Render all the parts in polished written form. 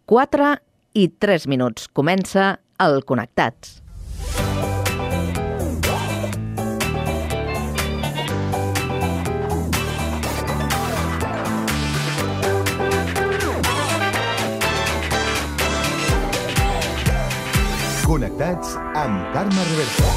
4:03. Comença el Connectats. Connectats amb Carme Reverte.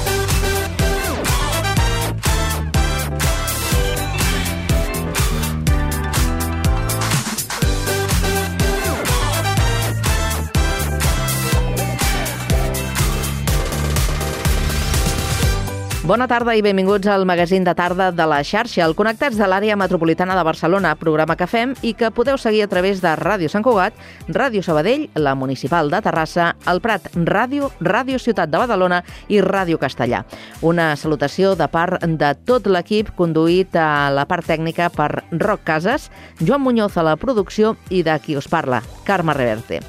Bona tarda i benvinguts al magazín de tarda de la xarxa, el Connectats de l'àrea metropolitana de Barcelona, programa que fem i que podeu seguir a través de Ràdio Sant Cugat, Ràdio Sabadell, la Municipal de Terrassa, el Prat Ràdio, Ràdio Ciutat de Badalona i Ràdio Castellà. Una salutació de part de tot l'equip conduït a la part tècnica per Roc Casas, Joan Muñoz a la producció i de qui us parla, Carme Reverte.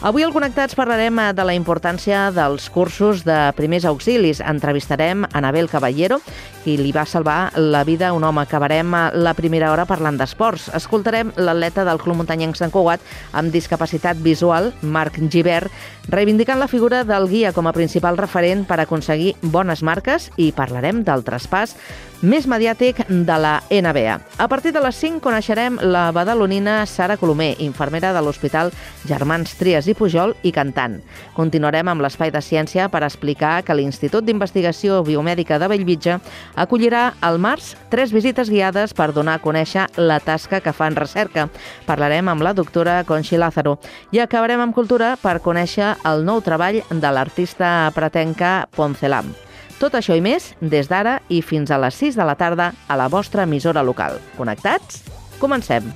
Avui al Connectats parlarem de la importància dels cursos de primers auxilis. Entrevistarem Anabel Caballero, qui li va salvar la vida a un home. Acabarem la primera hora parlant d'esports. Escoltarem l'atleta del Club Muntanyenc Sant Cugat amb discapacitat visual, Marc Gibert, reivindicant la figura del guia com a principal referent per aconseguir bones marques, i parlarem del traspàs més mediàtic de la NBA. A partir de les 5 coneixerem la badalonina Sara Colomer, infermera de l'Hospital Germans Trias i Pujol i cantant. Continuarem amb l'espai de ciència per explicar que l'Institut d'Investigació Biomèdica de Bellvitge acollirà al març 3 visites guiades per donar a conèixer la tasca que fa en recerca. Parlarem amb la doctora Conxi Lázaro i acabarem amb cultura per conèixer el nou treball de l'artista pratenca Poncelam. Tot això i més des d'ara i fins a les 6 de la tarda a la vostra emissora local. Connectats? Comencem!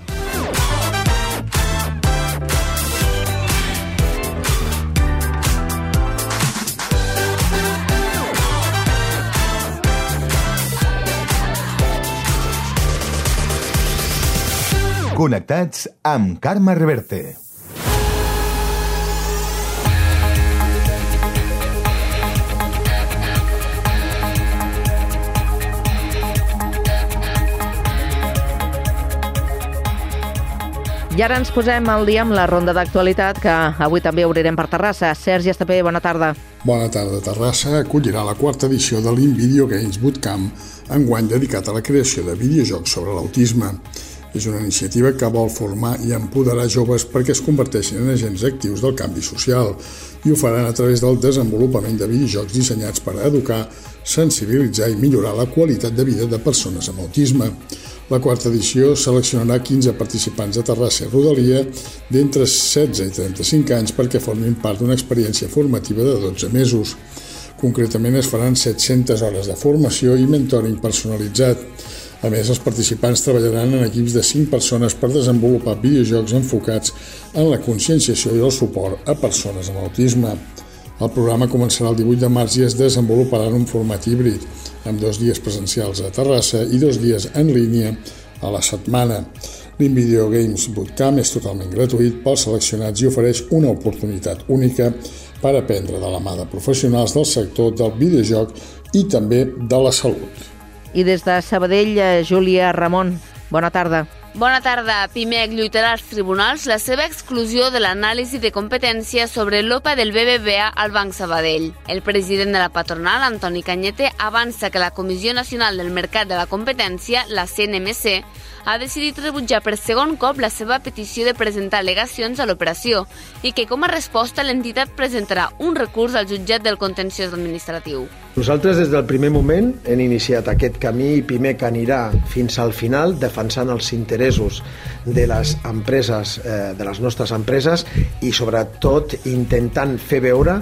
Connectats amb Carme Reverte. I ara ens posem al dia amb la ronda d'actualitat que avui també obrirem per Terrassa. Sergi Estapé, bona tarda. Bona tarda. Terrassa acollirà la 4ª edició de l'InVideo Games Bootcamp, enguany dedicat a la creació de videojocs sobre l'autisme. És una iniciativa que vol formar i empoderar joves perquè es converteixin en agents actius del canvi social i ho faran a través del desenvolupament de videojocs dissenyats per educar, sensibilitzar i millorar la qualitat de vida de persones amb autisme. La 4ª edició seleccionarà 15 participants de Terrassa i rodalia d'entre 16 i 35 anys perquè formin part d'una experiència formativa de 12 mesos. Concretament es faran 700 hores de formació i mentoring personalitzat. A més, els participants treballaran en equips de 5 persones per desenvolupar videojocs enfocats en la conscienciació i el suport a persones amb autisme. El programa començarà el 18 de març i es desenvoluparà en un format híbrid, amb 2 dies presencials a Terrassa i 2 dies en línia a la setmana. L'InVideo Games Bootcamp és totalment gratuït pels seleccionats i ofereix una oportunitat única per aprendre de la mà de professionals del sector del videojoc i també de la salut. I des de Sabadell, Júlia Ramon, bona tarda. Bona tarda. Pimec lluitarà als tribunals la seva exclusió de l'anàlisi de competència sobre l'OPA del BBVA al Banc Sabadell. El president de la patronal, Antoni Cañete, avança que la Comissió Nacional del Mercat de la Competència, la CNMC, ha decidit rebutjar per segon cop la seva petició de presentar al·legacions a l'operació i que com a resposta l'entitat presentarà un recurs al jutjat del contenciós administratiu. Nosaltres des del primer moment hem iniciat aquest camí i Pimec anirà fins al final defensant els interessos de les empreses, de les nostres empreses i sobretot intentant fer veure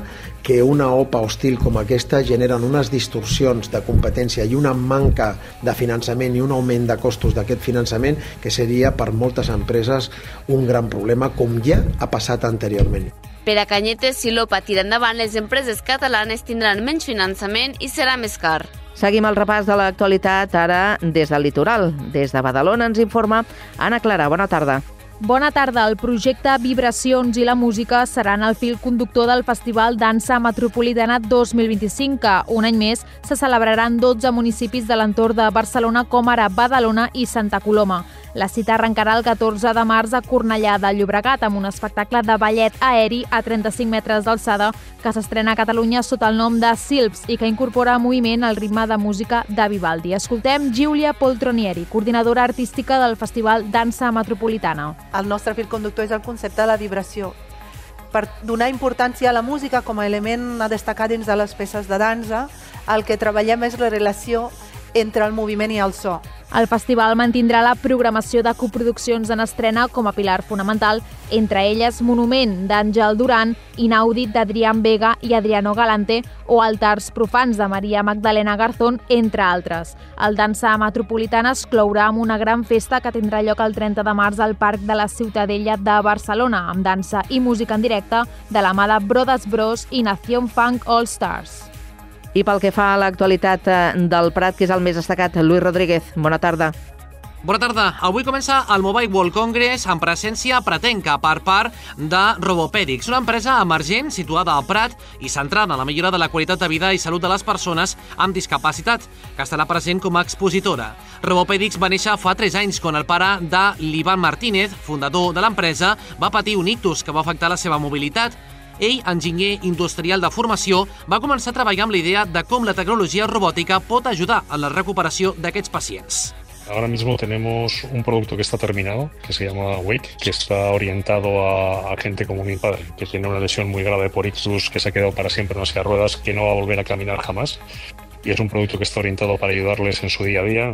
que una OPA hostil com aquesta generen unes distorsions de competència i una manca de finançament i un augment de costos d'aquest finançament que seria per moltes empreses un gran problema, com ja ha passat anteriorment. Per a Cañete, si l'OPA tira endavant, les empreses catalanes tindran menys finançament i serà més car. Seguim el repàs de l'actualitat ara des del litoral. Des de Badalona ens informa Anna Clara. Bona tarda. Bona tarda. El projecte Vibracions i la música seran el fil conductor del Festival Dansa Metropolitana 2025, que un any més se celebraran 12 municipis de l'entorn de Barcelona, com ara Badalona i Santa Coloma. La cita arrencarà el 14 de març a Cornellà de Llobregat amb un espectacle de ballet aeri a 35 metres d'alçada que s'estrena a Catalunya sota el nom de Silps i que incorpora moviment al ritme de música de Vivaldi. Escoltem Giulia Poltronieri, coordinadora artística del Festival Dansa Metropolitana. El nostre fil conductor és el concepte de la vibració. Per donar importància a la música com a element a destacar dins de les peces de dansa, el que treballem és la relació entre el moviment i el so. El festival mantindrà la programació de coproduccions en estrena com a pilar fonamental, entre elles Monument, d'Àngel Duran, Inaudit, d'Adrián Vega i Adriano Galante, o Altars profans, de Maria Magdalena Garzón, entre altres. El Dansa Metropolitana es clourà amb una gran festa que tindrà lloc el 30 de març al Parc de la Ciutadella de Barcelona, amb dansa i música en directe de la mà de Brothers Bros i Nación Funk All Stars. I pel que fa a l'actualitat del Prat, que és el més destacat, Lluís Rodríguez, bona tarda. Bona tarda. Avui comença el Mobile World Congress amb presència pratenca per part de Robopèdics, una empresa emergent situada al Prat i centrada en la millora de la qualitat de vida i salut de les persones amb discapacitat, que estarà present com a expositora. Robopèdics va néixer fa 3 anys quan el pare de l'Ivan Martínez, fundador de l'empresa, va patir un ictus que va afectar la seva mobilitat. Ell, enginyer industrial de formació, va començar a treballar amb la idea de com la tecnologia robòtica pot ajudar en la recuperació d'aquests pacients. Ahora mismo tenemos un producto que está terminado, que se llama Wake, que está orientado a gente como mi padre, que tiene una lesión muy grave por ictus, que se ha quedado para siempre en una silla de ruedas, que no va a volver a caminar jamás. Y es un producto que está orientado para ayudarles en su día a día,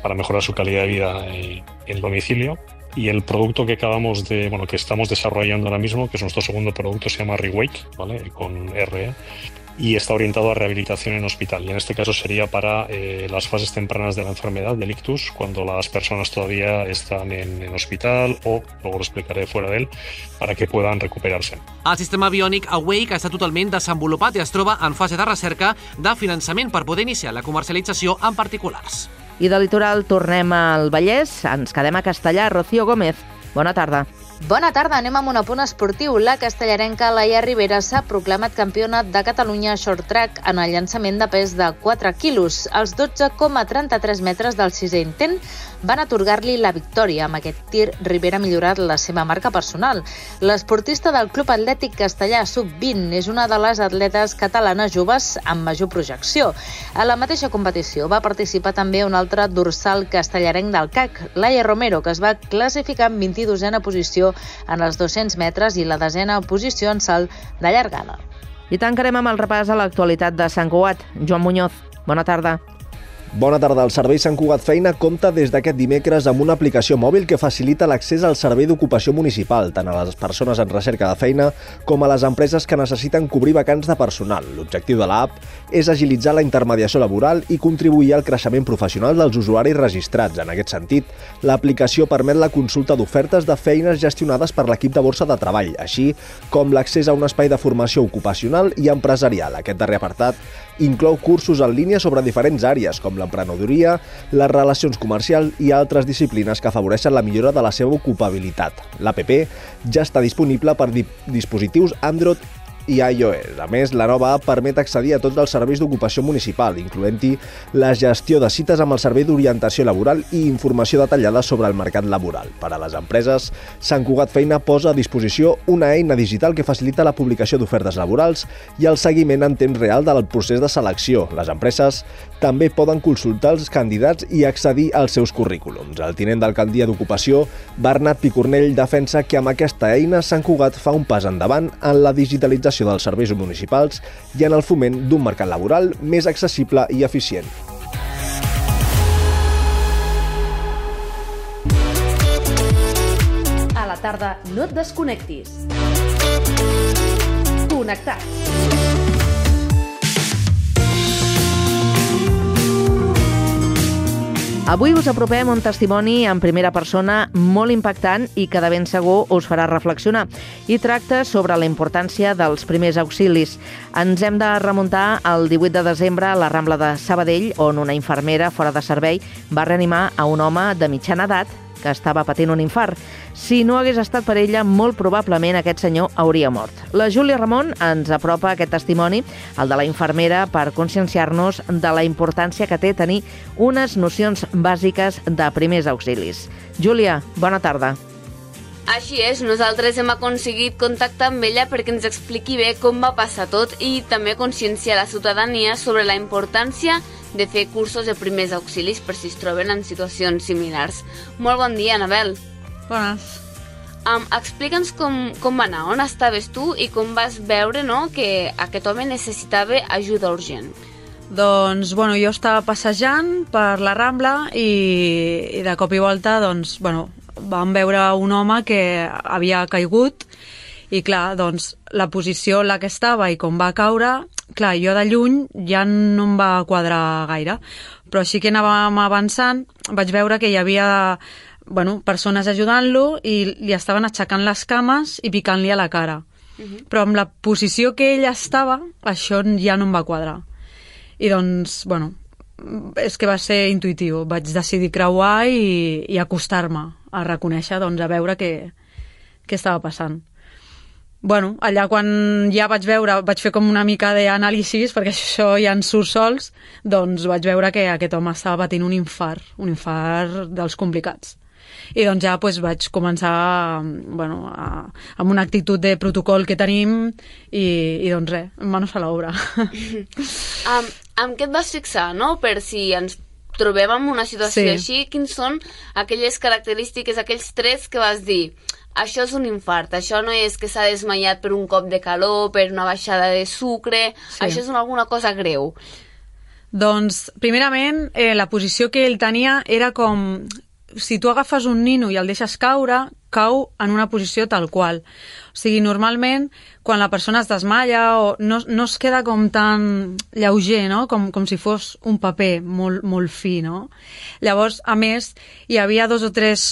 para mejorar su calidad de vida en domicilio. Y el producto que que estamos desarrollando ahora mismo, que es nuestro segundo producto, se llama Rewake, ¿vale? Con R, y está orientado a rehabilitación en hospital. Y en este caso sería para las fases tempranas de la enfermedad, del ictus, cuando las personas todavía están en hospital o, luego lo explicaré fuera de él, para que puedan recuperarse. El sistema biònic Awake està totalment desenvolupat i es troba en fase de recerca de finançament per poder iniciar la comercialització en particulars. I de litoral tornem al Vallès, ens quedem a Castellar. Rocío Gómez, bona tarda. Bona tarda, anem amb un apunt esportiu. La castellarenca Laia Ribera s'ha proclamat campiona de Catalunya short track en el llançament de pes de 4 quilos. Els 12,33 metres del sisè intent van atorgar-li la victòria. Amb aquest tir, Ribera ha millorat la seva marca personal. L'esportista del Club Atlètic Castellà Sub-20 és una de les atletes catalanes joves amb major projecció. A la mateixa competició va participar també un altre dorsal castellarenc del CAC, Laia Romero, que es va classificar en 22a posició en els 200 metres i la 10a posició en salt de llargada. I tancarem amb el repàs a l'actualitat de Sant Cugat. Joan Muñoz, bona tarda. Bona tarda. El Servei Sant Cugat Feina compta des d'aquest dimecres amb una aplicació mòbil que facilita l'accés al servei d'ocupació municipal, tant a les persones en recerca de feina com a les empreses que necessiten cobrir vacants de personal. L'objectiu de l'app és agilitzar la intermediació laboral i contribuir al creixement professional dels usuaris registrats. En aquest sentit, l'aplicació permet la consulta d'ofertes de feines gestionades per l'equip de borsa de treball, així com l'accés a un espai de formació ocupacional i empresarial. Aquest darrer apartat inclou cursos en línia sobre diferents àrees, com l'emprenedoria, les relacions comercials i altres disciplines que afavoreixen la millora de la seva ocupabilitat. L'APP ja està disponible per dispositius Android i iOS. A més, la nova app permet accedir a tots els serveis d'ocupació municipal, incloent-hi la gestió de cites amb el servei d'orientació laboral i informació detallada sobre el mercat laboral. Per a les empreses, Sant Cugat Feina posa a disposició una eina digital que facilita la publicació d'ofertes laborals i el seguiment en temps real del procés de selecció. Les empreses també poden consultar els candidats i accedir als seus currículums. El tinent d'alcaldia d'Ocupació, Bernat Picornell, defensa que amb aquesta eina Sant Cugat fa un pas endavant en la digitalització dels serveis municipals i en el foment d'un mercat laboral més accessible i eficient. A la tarda no et desconnectis. Connectats. Avui us apropem un testimoni en primera persona molt impactant i que de ben segur us farà reflexionar. I tracta sobre la importància dels primers auxilis. Ens hem de remuntar al 18 de desembre a la Rambla de Sabadell, on una infermera fora de servei va reanimar a un home de mitjana edat que estava patint un infart. Si no hagués estat per ella, molt probablement aquest senyor hauria mort. La Júlia Ramon ens apropa aquest testimoni, el de la infermera, per conscienciar-nos de la importància que té tenir unes nocions bàsiques de primers auxilis. Júlia, bona tarda. Així és, nosaltres hem aconseguit contactar amb ella perquè ens expliqui bé com va passar tot i també conscienciar la ciutadania sobre la importància de fer cursos de primers auxilis per si es troben en situacions similars. Molt bon dia, Anabel. Bones. Explica'ns com va anar, on estaves tu i com vas veure, no, que aquest home necessitava ajuda urgent. Doncs, jo estava passejant per la Rambla i de cop i volta, vam veure un home que havia caigut i, clar, la posició en la que estava i com va caure, clar, jo de lluny ja no em va quadrar gaire, però sí que anàvem avançant, vaig veure que hi havia persones ajudant-lo i li estaven aixecant les cames i picant-li a la cara. Però amb la posició que ell estava, això ja no em va quadrar. I és que va ser intuïtiu. Vaig decidir creuar i acostar-me a reconèixer, a veure què estava passant. Allà quan ja vaig fer com una mica d'anàlisis, perquè això ja en surt sols, vaig veure que aquest home estava patint un infart dels complicats. I ja vaig començar amb una actitud de protocol que tenim i res, manos a l'obra. Amb què et vas fixar, no? Per si ens trobem en una situació així, quins són aquelles característiques, aquells trets que vas dir això és un infart, això no és que s'ha desmaiat per un cop de calor, per una baixada de sucre, això és alguna cosa greu. Doncs, primerament, la posició que ell tenia era com si tu agafes un nino i el deixes caure, cau en una posició tal qual. O sigui, normalment, quan la persona es desmaia no es queda com tan lleuger, no? Com si fos un paper molt fi, no? Llavors, a més, hi havia 2 o 3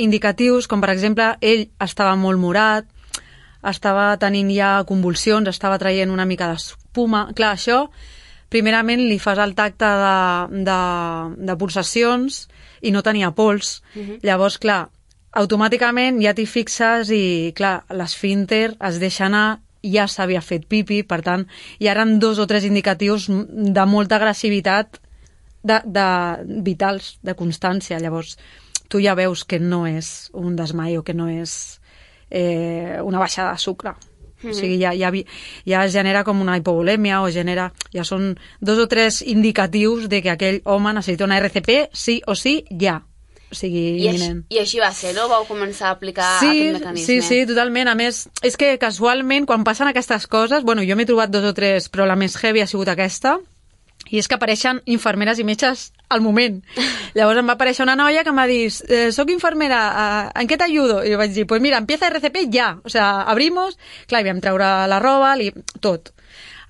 indicatius, com per exemple, ell estava molt morat, estava tenint ja convulsions, estava traient una mica d'espuma. Clar, això, primerament, li fas el tacte de pulsacions i no tenia pols. Llavors, clar, automàticament ja t'hi fixes i, clar, l'esfínter es deixa anar, ja s'havia fet pipi, per tant, ja eren 2 o 3 indicatius de molta agressivitat vitals, de constància. Llavors, tu ja veus que no és un desmai o que no és una baixada de sucre. O sigui, ja es genera com una hipovolèmia ja són 2 o 3 indicatius de que aquell home necessita una RCP sí o sí, ja. O sigui, imminent. I així va ser, no? Vau començar a aplicar aquest mecanisme. Sí, totalment. A més, és que casualment, quan passen aquestes coses, jo m'he trobat 2 o 3, però la més heavy ha sigut aquesta, i és que apareixen infermeres i metges al moment. Llavors em va aparèixer una noia que em va dir soc infermera, ¿en què t'ajudo? I jo vaig dir, pues mira, empieza RCP ya. O sea, abrimos, clar, i vam treure la roba, tot.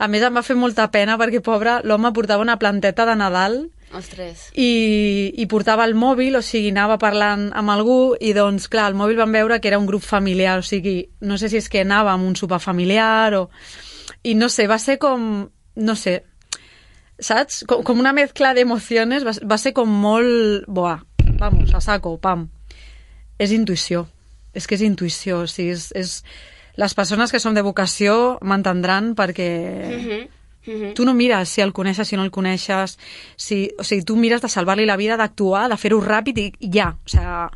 A més, em va fer molta pena perquè, pobre, l'home portava una planteta de Nadal. Ostres. I portava el mòbil, o sigui, anava parlant amb algú i, doncs, clar, al mòbil vam veure que era un grup familiar, o sigui, no sé si és que anava amb un sopar familiar o... I no sé, va ser com... No sé, saps? Com una mezcla d'emocions, va ser com molt... Buah, vamos, a saco, pam. És intuïció, és que és intuïció, o sigui, és... Les persones que som de vocació m'entendran perquè... Tu no mires si el coneixes, si no el coneixes, o sigui, tu mires de salvar-li la vida, d'actuar, de fer-ho ràpid i ja, o sigui...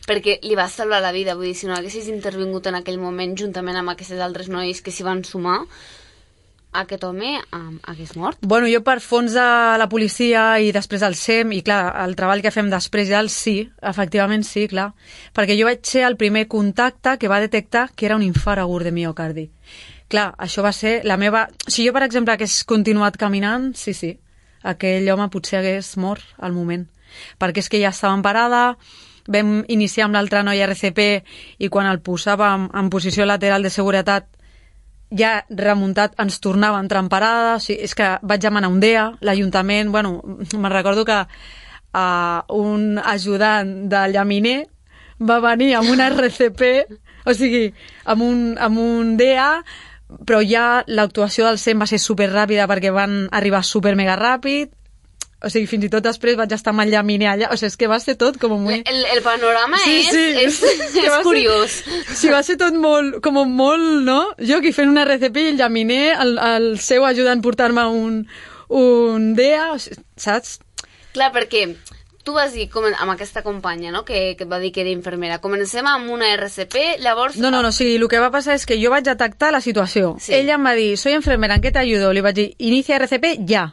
Perquè li vas salvar la vida, vull dir, si no haguessis intervingut en aquell moment juntament amb aquests altres nois que s'hi van sumar, aquest home hagués mort? Bueno, jo per fons de la policia i després del SEM, i clar, el treball que fem després ja sí, efectivament sí, clar, perquè jo vaig ser el primer contacte que va detectar que era un infart agut de miocardi. Clar, això va ser la meva... Si jo, per exemple, hagués continuat caminant, sí, aquell home potser hagués mort al moment. Perquè és que ja estava en parada, vam iniciar amb l'altra noia RCP i quan el posàvem en posició lateral de seguretat ja remuntat ens tornava a entrar en parada, o sigui, és que vaig demanar un DEA, l'Ajuntament, bueno, me'n recordo que un ajudant de llaminer va venir amb una RCP, o sigui, amb un DEA, però ja l'actuació del SEM va ser superràpida perquè van arribar super mega ràpid O sigui, fins i tot després vaig estar amb el llaminer allà. O sigui, és que va ser tot com muy... El panorama és curiós. Sí, va ser tot molt, no? Jo aquí fent una RCP i el llaminer, el seu ajudant portar-me un DEA, saps? Clar, perquè tu vas dir amb aquesta companya, no?, que et va dir que era infermera. Comencem amb una RCP, llavors... No, sí, el que va passar és que jo vaig detectar la situació. Sí. Ella em va dir, soy enfermera, ¿en qué te ayudo? Li vaig dir, inicia RCP ja.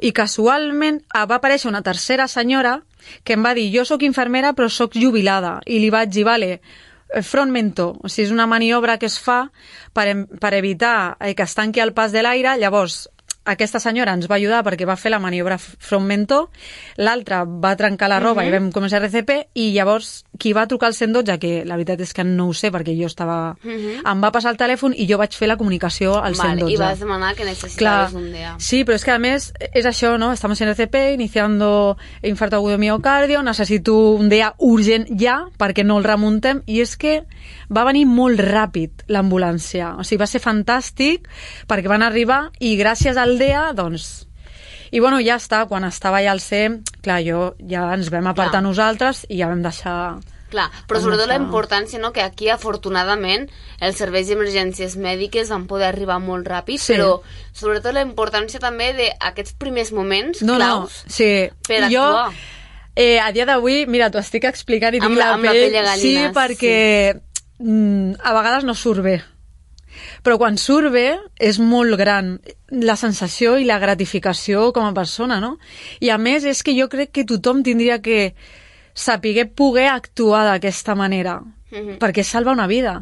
I casualment va aparèixer una tercera senyora que em va dir, jo sóc infermera però sóc jubilada. I li vaig dir, vale, front mentó, o sigui, és una maniobra que es fa per evitar que es tanqui el pas de l'aire. Llavors, aquesta senyora ens va ajudar perquè va fer la maniobra front mentó, l'altra va trencar la roba i vam començar RCP, i llavors qui va trucar al 112, que la veritat és que no ho sé perquè jo estava... Em va passar el telèfon i jo vaig fer la comunicació al 112. I vas demanar que necessitaves un DEA. Sí, però és que a més és això, no? Estamos en RCP, iniciando infarto agudo de miocardio, necessito un DEA urgent ja perquè no el remuntem, i és que va venir molt ràpid l'ambulància. O sigui, va ser fantàstic perquè van arribar i gràcies al DEA, doncs... I bueno, ja està, quan estava allà al CEM, clar, ja ens vam apartar nosaltres i ja vam deixar... Clar, però sobretot la importància, no?, que aquí, afortunadament, els serveis d'emergències mèdiques van poder arribar molt ràpid, però sobretot la importància també d'aquests primers moments claus per actuar. A dia d'avui, mira, t'ho estic explicant i tinc la pell de gallina. Sí, perquè a vegades no surt bé. Però quan surt bé és molt gran la sensació i la gratificació com a persona, no? I a més és que jo crec que tothom tindria que poder actuar d'aquesta manera, perquè salva una vida.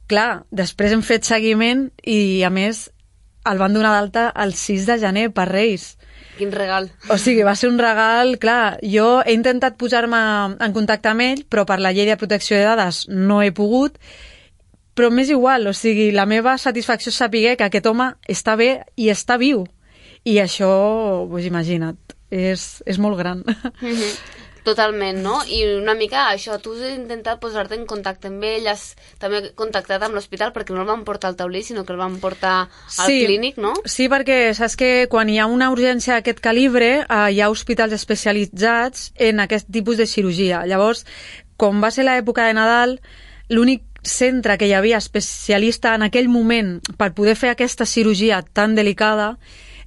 Clar, després hem fet seguiment i a més el van donar d'alta el 6 de gener per Reis. Quin regal. O sigui, va ser un regal, clar. Jo he intentat posar-me en contacte amb ell, però per la llei de protecció de dades no he pogut. Però m'és igual, o sigui, la meva satisfacció és saber que aquest home està bé i està viu. I això, doncs imagina't, és molt gran. Totalment, no? I una mica això, tu has intentat posar-te en contacte amb ell, has també contactat amb l'hospital perquè no el van portar al taulí, sinó que el van portar al clínic, no? Sí, perquè saps que quan hi ha una urgència d'aquest calibre hi ha hospitals especialitzats en aquest tipus de cirurgia. Llavors, com va ser l'època de Nadal, l'únic centre que hi havia especialista en aquell moment per poder fer aquesta cirurgia tan delicada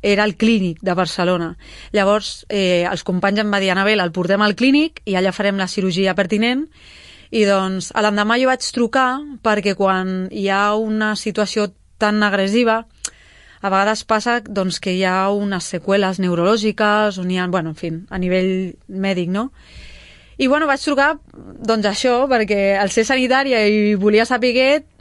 era el clínic de Barcelona. Llavors, els companys em va dir, Anabel, el portem al clínic i allà farem la cirurgia pertinent. I doncs, a l'endemà jo vaig trucar perquè quan hi ha una situació tan agressiva, a vegades passa doncs, que hi ha unes seqüeles neurològiques, on hi ha, bueno, en fi, a nivell mèdic, no? I bueno, vaig trucar, doncs això, perquè al ser sanitària i volia saber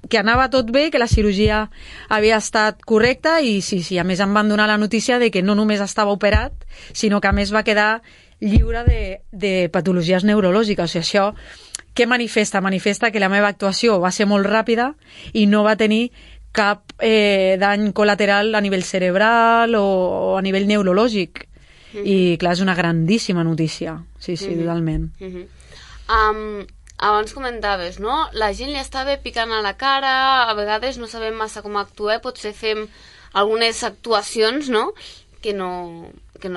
que anava tot bé, que la cirurgia havia estat correcta i sí, a més em van donar la notícia de que no només estava operat, sinó que a més va quedar lliure de patologies neurològiques. O sigui, això què manifesta? Manifesta que la meva actuació va ser molt ràpida i no va tenir cap dany col·lateral a nivell cerebral o a nivell neurològic. I clar, és una grandíssima notícia. Sí, totalment. Abans comentaves, no? La gent li estava picant a la cara, a vegades no sabem massa com actuar, potser fem algunes actuacions, no?, que no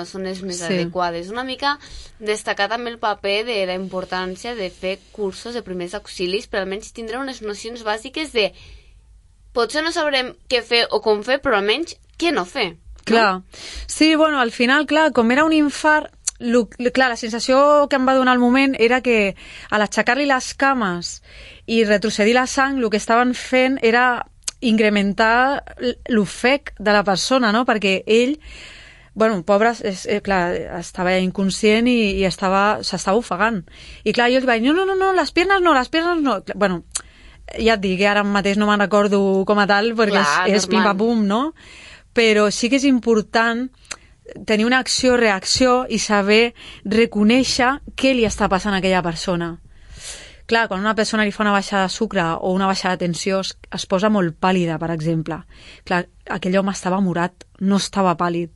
són les més adequades. Una mica destacar també el paper de la importància de fer cursos de primers auxilis per almenys tindre unes nocions bàsiques de potser no sabrem què fer o com fer, però almenys què no fer. Clar. Sí, bueno, al final, clar, com era un infart, clar, la sensació que em va donar al moment era que a l'aixecar-li les cames i retrocedir la sang, el que estaven fent era incrementar l'ofec de la persona, no? Perquè ell, bueno, pobre, clar, estava inconscient i s'estava ofegant. I clar, jo li vaig dir, no, les piernas no. Bueno, ja et dic, ara mateix no me'n recordo com a tal, perquè és pim-pam-pum, no? Però sí que és important tenir una acció-reacció i saber reconèixer què li està passant a aquella persona. Clar, quan una persona li fa una baixada de sucre o una baixada de tensió es posa molt pàl·lida, per exemple. Clar, aquell home estava morat, no estava pàl·lid.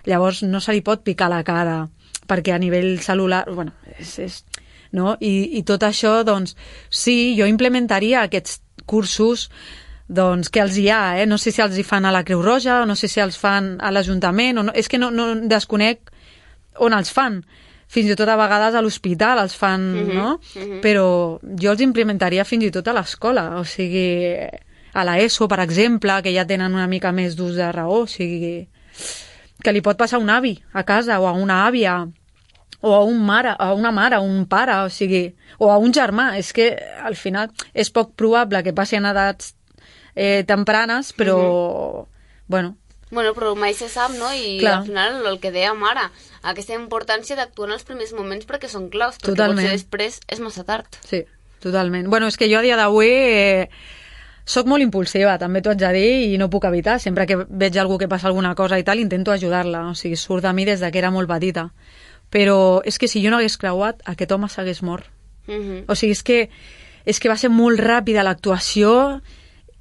Llavors no se li pot picar la cara, perquè a nivell cel·lular... Bueno, no? I tot això, doncs, sí, jo implementaria aquests cursos doncs que els hi ha, no sé si els hi fan a la Creu Roja, no sé si els fan a l'Ajuntament, o no, és que no desconec on els fan. Fins i tot a vegades a l'hospital els fan, no? Però jo els implementaria fins i tot a l'escola, o sigui, a l'ESO, per exemple, que ja tenen una mica més d'ús de raó, o sigui, que li pot passar a un avi a casa, o a una àvia, o a una mare, a un pare, o sigui, o a un germà. És que, al final, és poc probable que passi en edats tempranes, però, bueno... Bueno, però mai se sap, no? I al final, el que dèiem ara, aquesta importància d'actuar en els primers moments perquè són claus, perquè potser després és massa tard. Sí, totalment. Bueno, és que jo a dia d'avui soc molt impulsiva, també t'ho haig de dir, i no puc evitar. Sempre que veig algú que passa alguna cosa i tal, intento ajudar-la. O sigui, surt de mi des que era molt petita. Però és que si jo no hagués creuat, aquest home s'hagués mort. O sigui, és que va ser molt ràpida l'actuació.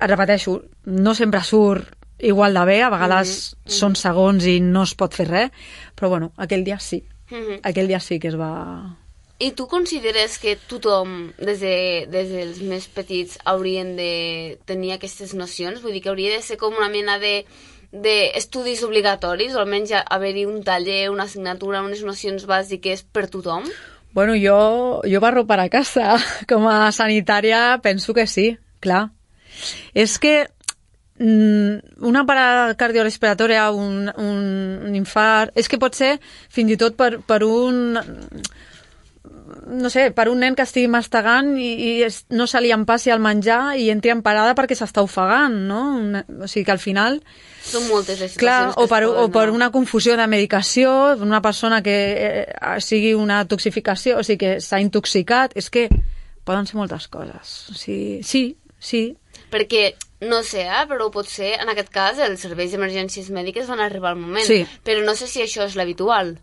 Repeteixo, no sempre surt igual de bé, a vegades són segons i no es pot fer res, però bueno, aquell dia sí. Aquell dia sí que es va... I tu consideres que tothom, des dels més petits, haurien de tenir aquestes nocions? Vull dir que hauria de ser com una mena d'estudis obligatoris, o almenys haver-hi un taller, una assignatura, unes nocions bàsiques per tothom? Bueno, jo barro per a casa. Com a sanitària penso que sí, clar. És que una parada cardiorrespiratòria, un infart, és que pot ser fins i tot per un... no sé, per un nen que estigui mastegant i no se li empassi el menjar i entri en parada perquè s'està ofegant, no? O sigui que al final... Són moltes les situacions que o per una confusió de medicació, una persona que sigui una toxificació, o sigui que s'ha intoxicat, és que poden ser moltes coses. O sigui, sí. Perquè, no sé, però potser en aquest cas els serveis d'emergències mèdiques van arribar al moment, però no sé si això és l'habitual.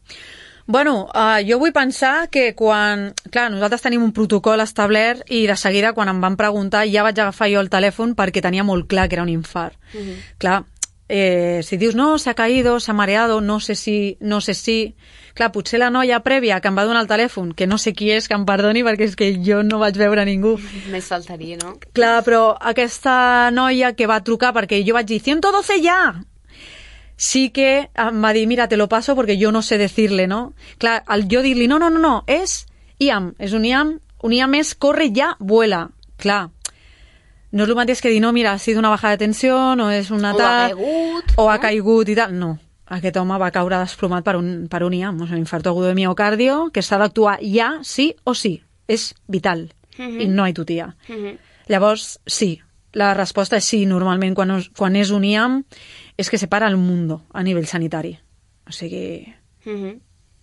Bueno, jo vull pensar que quan... Clar, nosaltres tenim un protocol establert i de seguida quan em van preguntar ja vaig agafar jo el telèfon perquè tenia molt clar que era un infart. Clar, si dius no, s'ha caído, s'ha mareado, no sé si... Clar, potser la noia prèvia que em va donar el telèfon, que no sé qui és, que em perdoni perquè és que jo no vaig veure ningú. Més faltaria, no? Clar, però aquesta noia que va trucar perquè jo vaig dir 112 ja! Sí que em va dir, mira, te lo paso porque yo no sé decirle, no? Clar, jo dir-li, no, és IAM, és un IAM és corre ja, vuela. Clar, no és el mateix que dir, no, mira, ha sido una baja de tensió, no és un atac... O ha caigut i tal, no. Aquest home va caure desplomat per un IAM, un infarto agudo de miocardio, que s'ha d'actuar ja, sí o sí. És vital. I no hi tutia. Llavors, sí. La resposta és sí. Normalment, quan és un IAM, és que separa el mundo a nivell sanitari. O sigui...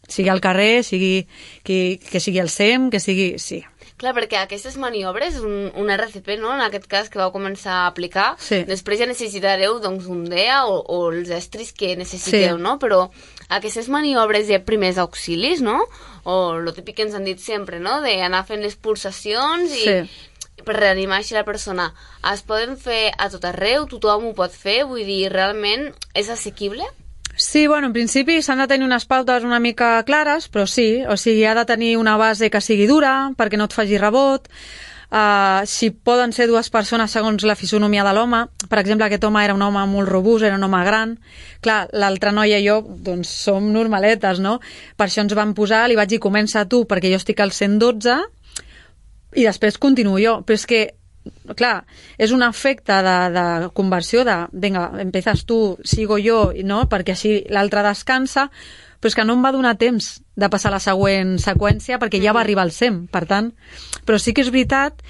Sigui al carrer, que sigui al SEM, que sigui... Sí. Clar, perquè aquestes maniobres, un RCP, no?, en aquest cas, que vau començar a aplicar, després ja necessitareu doncs, un DEA o els estris que necessiteu, no? Però aquestes maniobres de primers auxilis, no?, o el típic que ens han dit sempre, no?, d'anar fent les pulsacions i per reanimar així la persona, es poden fer a tot arreu, tothom ho pot fer, vull dir, realment és assequible? Sí, bueno, en principi s'han de tenir unes pautes una mica clares, però sí, o sigui, ha de tenir una base que sigui dura perquè no et faci rebot. Si poden ser dues persones segons la fisonomia de l'home, per exemple, aquest home era un home molt robust, era un home gran, clar, l'altra noia i jo, doncs, som normaletes, no? Per això ens vam posar, li vaig dir, comença tu, perquè jo estic al 112, i després continuo jo, però és que clar, és un efecte de conversió de, vinga, empiezas tu, sigo jo, no? Perquè així l'altre descansa, però és que no em va donar temps de passar la següent seqüència perquè ja va arribar al 100, per tant, però sí que és veritat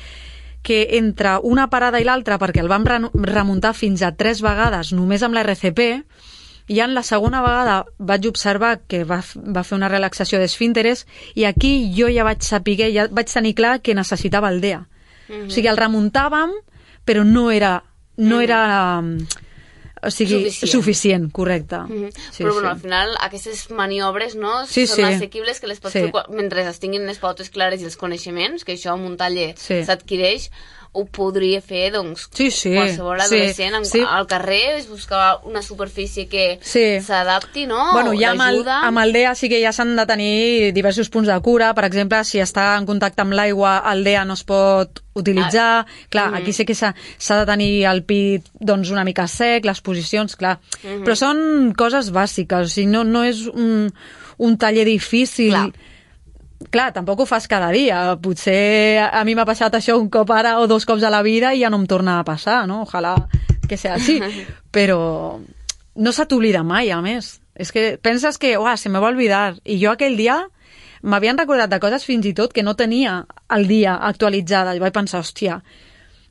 que entre una parada i l'altra, perquè el vam remuntar fins a 3 vegades només amb la RCP, i en la segona vegada vaig observar que va fer una relaxació d'esfínteres i aquí jo ja vaig saber, ja vaig tenir clar que necessitava el DEA. O sigui, el remuntàvem, però no era o sigui, suficient, correcte. Però bueno, al final aquestes maniobres, no, són assequibles, que les pots fer mentre es tinguin les pautes clares i els coneixements, que això en un taller s'adquireix, ho podria fer, doncs, qualsevol adolescent al carrer, es buscar una superfície que s'adapti, no? Bueno, ja amb el DEA sí que ja s'han de tenir diversos punts de cura. Per exemple, si està en contacte amb l'aigua, el DEA no es pot utilitzar. Clar, aquí sí que s'ha de tenir el pit doncs, una mica sec, les posicions, clar. Però són coses bàsiques, o sigui, no és un taller difícil... Clar, tampoc ho fas cada dia. Potser a mi m'ha passat això un cop ara o 2 cops a la vida i ja no em torna a passar, no? Ojalà que sigui així. Però no se t'oblida mai, a més. És que penses que, se me va oblidar. I jo aquell dia m'havien recordat de coses fins i tot que no tenia al dia actualitzades. I vaig pensar, hòstia,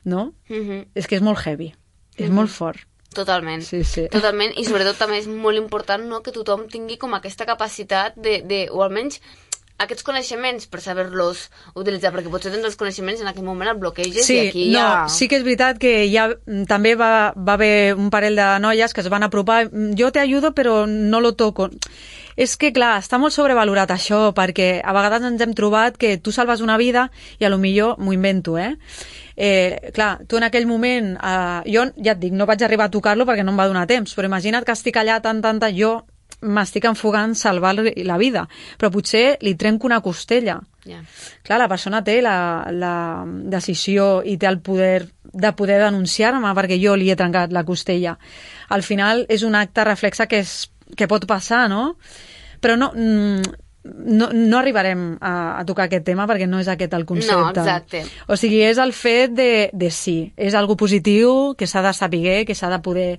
no? És que és molt heavy. És molt fort. Totalment. Sí, sí. Totalment. I sobretot també és molt important, no?, que tothom tingui com aquesta capacitat o almenys aquests coneixements per saber-los utilitzar, perquè potser tens els coneixements en aquell moment et bloqueges i aquí ja... Sí que és veritat que ja també va haver un parell de noies que es van apropar, jo te ayudo però no lo toco. És que, clar, està molt sobrevalorat això, perquè a vegades ens hem trobat que tu salves una vida i a lo millor m'ho invento, clar, tu en aquell moment, jo ja et dic, no vaig arribar a tocar-lo perquè no em va donar temps, però imagina't que estic allà tant, jo m'estic enfogant salvar la vida, però potser li trenco una costella. Clar, la persona té la decisió i té el poder de poder denunciar-me perquè jo li he trencat la costella. Al final és un acte reflexe que pot passar, no? Però no arribarem a tocar aquest tema perquè no és aquest el concepte. No, exacte. O sigui, és el fet de sí, és algo positiu que s'ha de saber, que s'ha de poder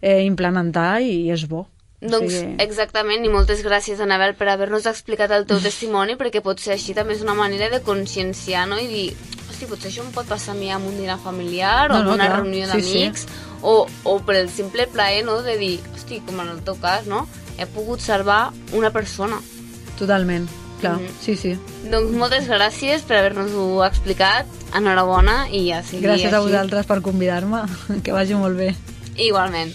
implementar i és bo. Doncs exactament, i moltes gràcies, Anabel, per haver-nos explicat el teu testimoni, perquè potser així també és una manera de conscienciar, no?, i dir, hosti, potser això em pot passar a mi en un dinar familiar o en una reunió d'amics, o per el simple plaer, no?, de dir, hosti, com en el teu cas, no?, he pogut salvar una persona. Totalment, clar, sí. Doncs moltes gràcies per haver-nos-ho explicat, enhorabona i ja sigui gràcies així. A vosaltres per convidar-me, que vagi molt bé. Igualment.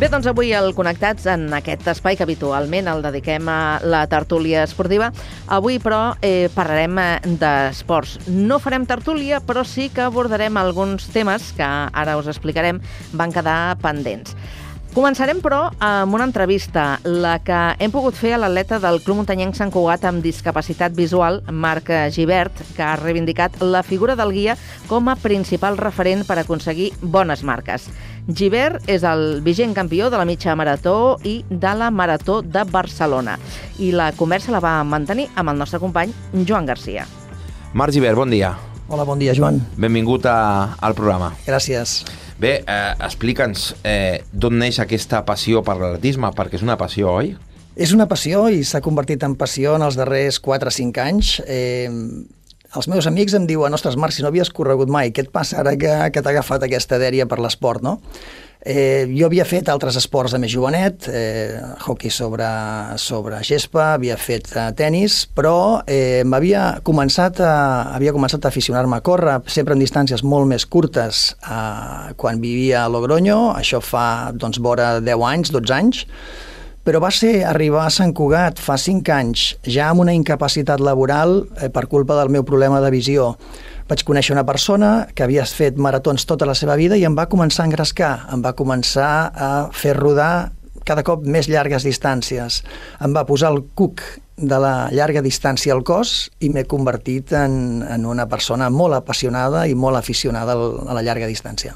Bé, doncs avui al Connectats, en aquest espai que habitualment el dediquem a la tertúlia esportiva, avui però parlarem d'esports. No farem tertúlia, però sí que abordarem alguns temes que ara us explicarem, van quedar pendents. Començarem, però, amb una entrevista, la que hem pogut fer a l'atleta del Club Muntanyenc Sant Cugat amb discapacitat visual, Marc Gibert, que ha reivindicat la figura del guia com a principal referent per aconseguir bones marques. Gibert és el vigent campió de la mitja marató i de la marató de Barcelona. I la conversa la va mantenir amb el nostre company Joan Garcia. Marc Gibert, bon dia. Hola, bon dia, Joan. Benvingut al programa. Gràcies. Bé, explica'ns d'on neix aquesta passió per l'atletisme, perquè és una passió, oi? És una passió i s'ha convertit en passió en els darrers 4 o 5 anys. Els meus amics em diuen, ostres, Marc, si no havies corregut mai, què et passa ara que t'ha agafat aquesta dèria per l'esport, no? Jo havia fet altres esports de més jovenet, hockey sobre gespa, havia fet tenis, però havia començat a aficionar-me a córrer, sempre en distàncies molt més curtes quan vivia a Logroño, això fa vora 10 anys, 12 anys, però va ser arribar a Sant Cugat fa 5 anys, ja amb una incapacitat laboral per culpa del meu problema de visió. Vaig conèixer una persona que havia fet maratons tota la seva vida i em va començar a engrescar, em va començar a fer rodar cada cop més llargues distàncies. Em va posar el cuc de la llarga distància al cos i m'he convertit en una persona molt apassionada i molt aficionada a la llarga distància.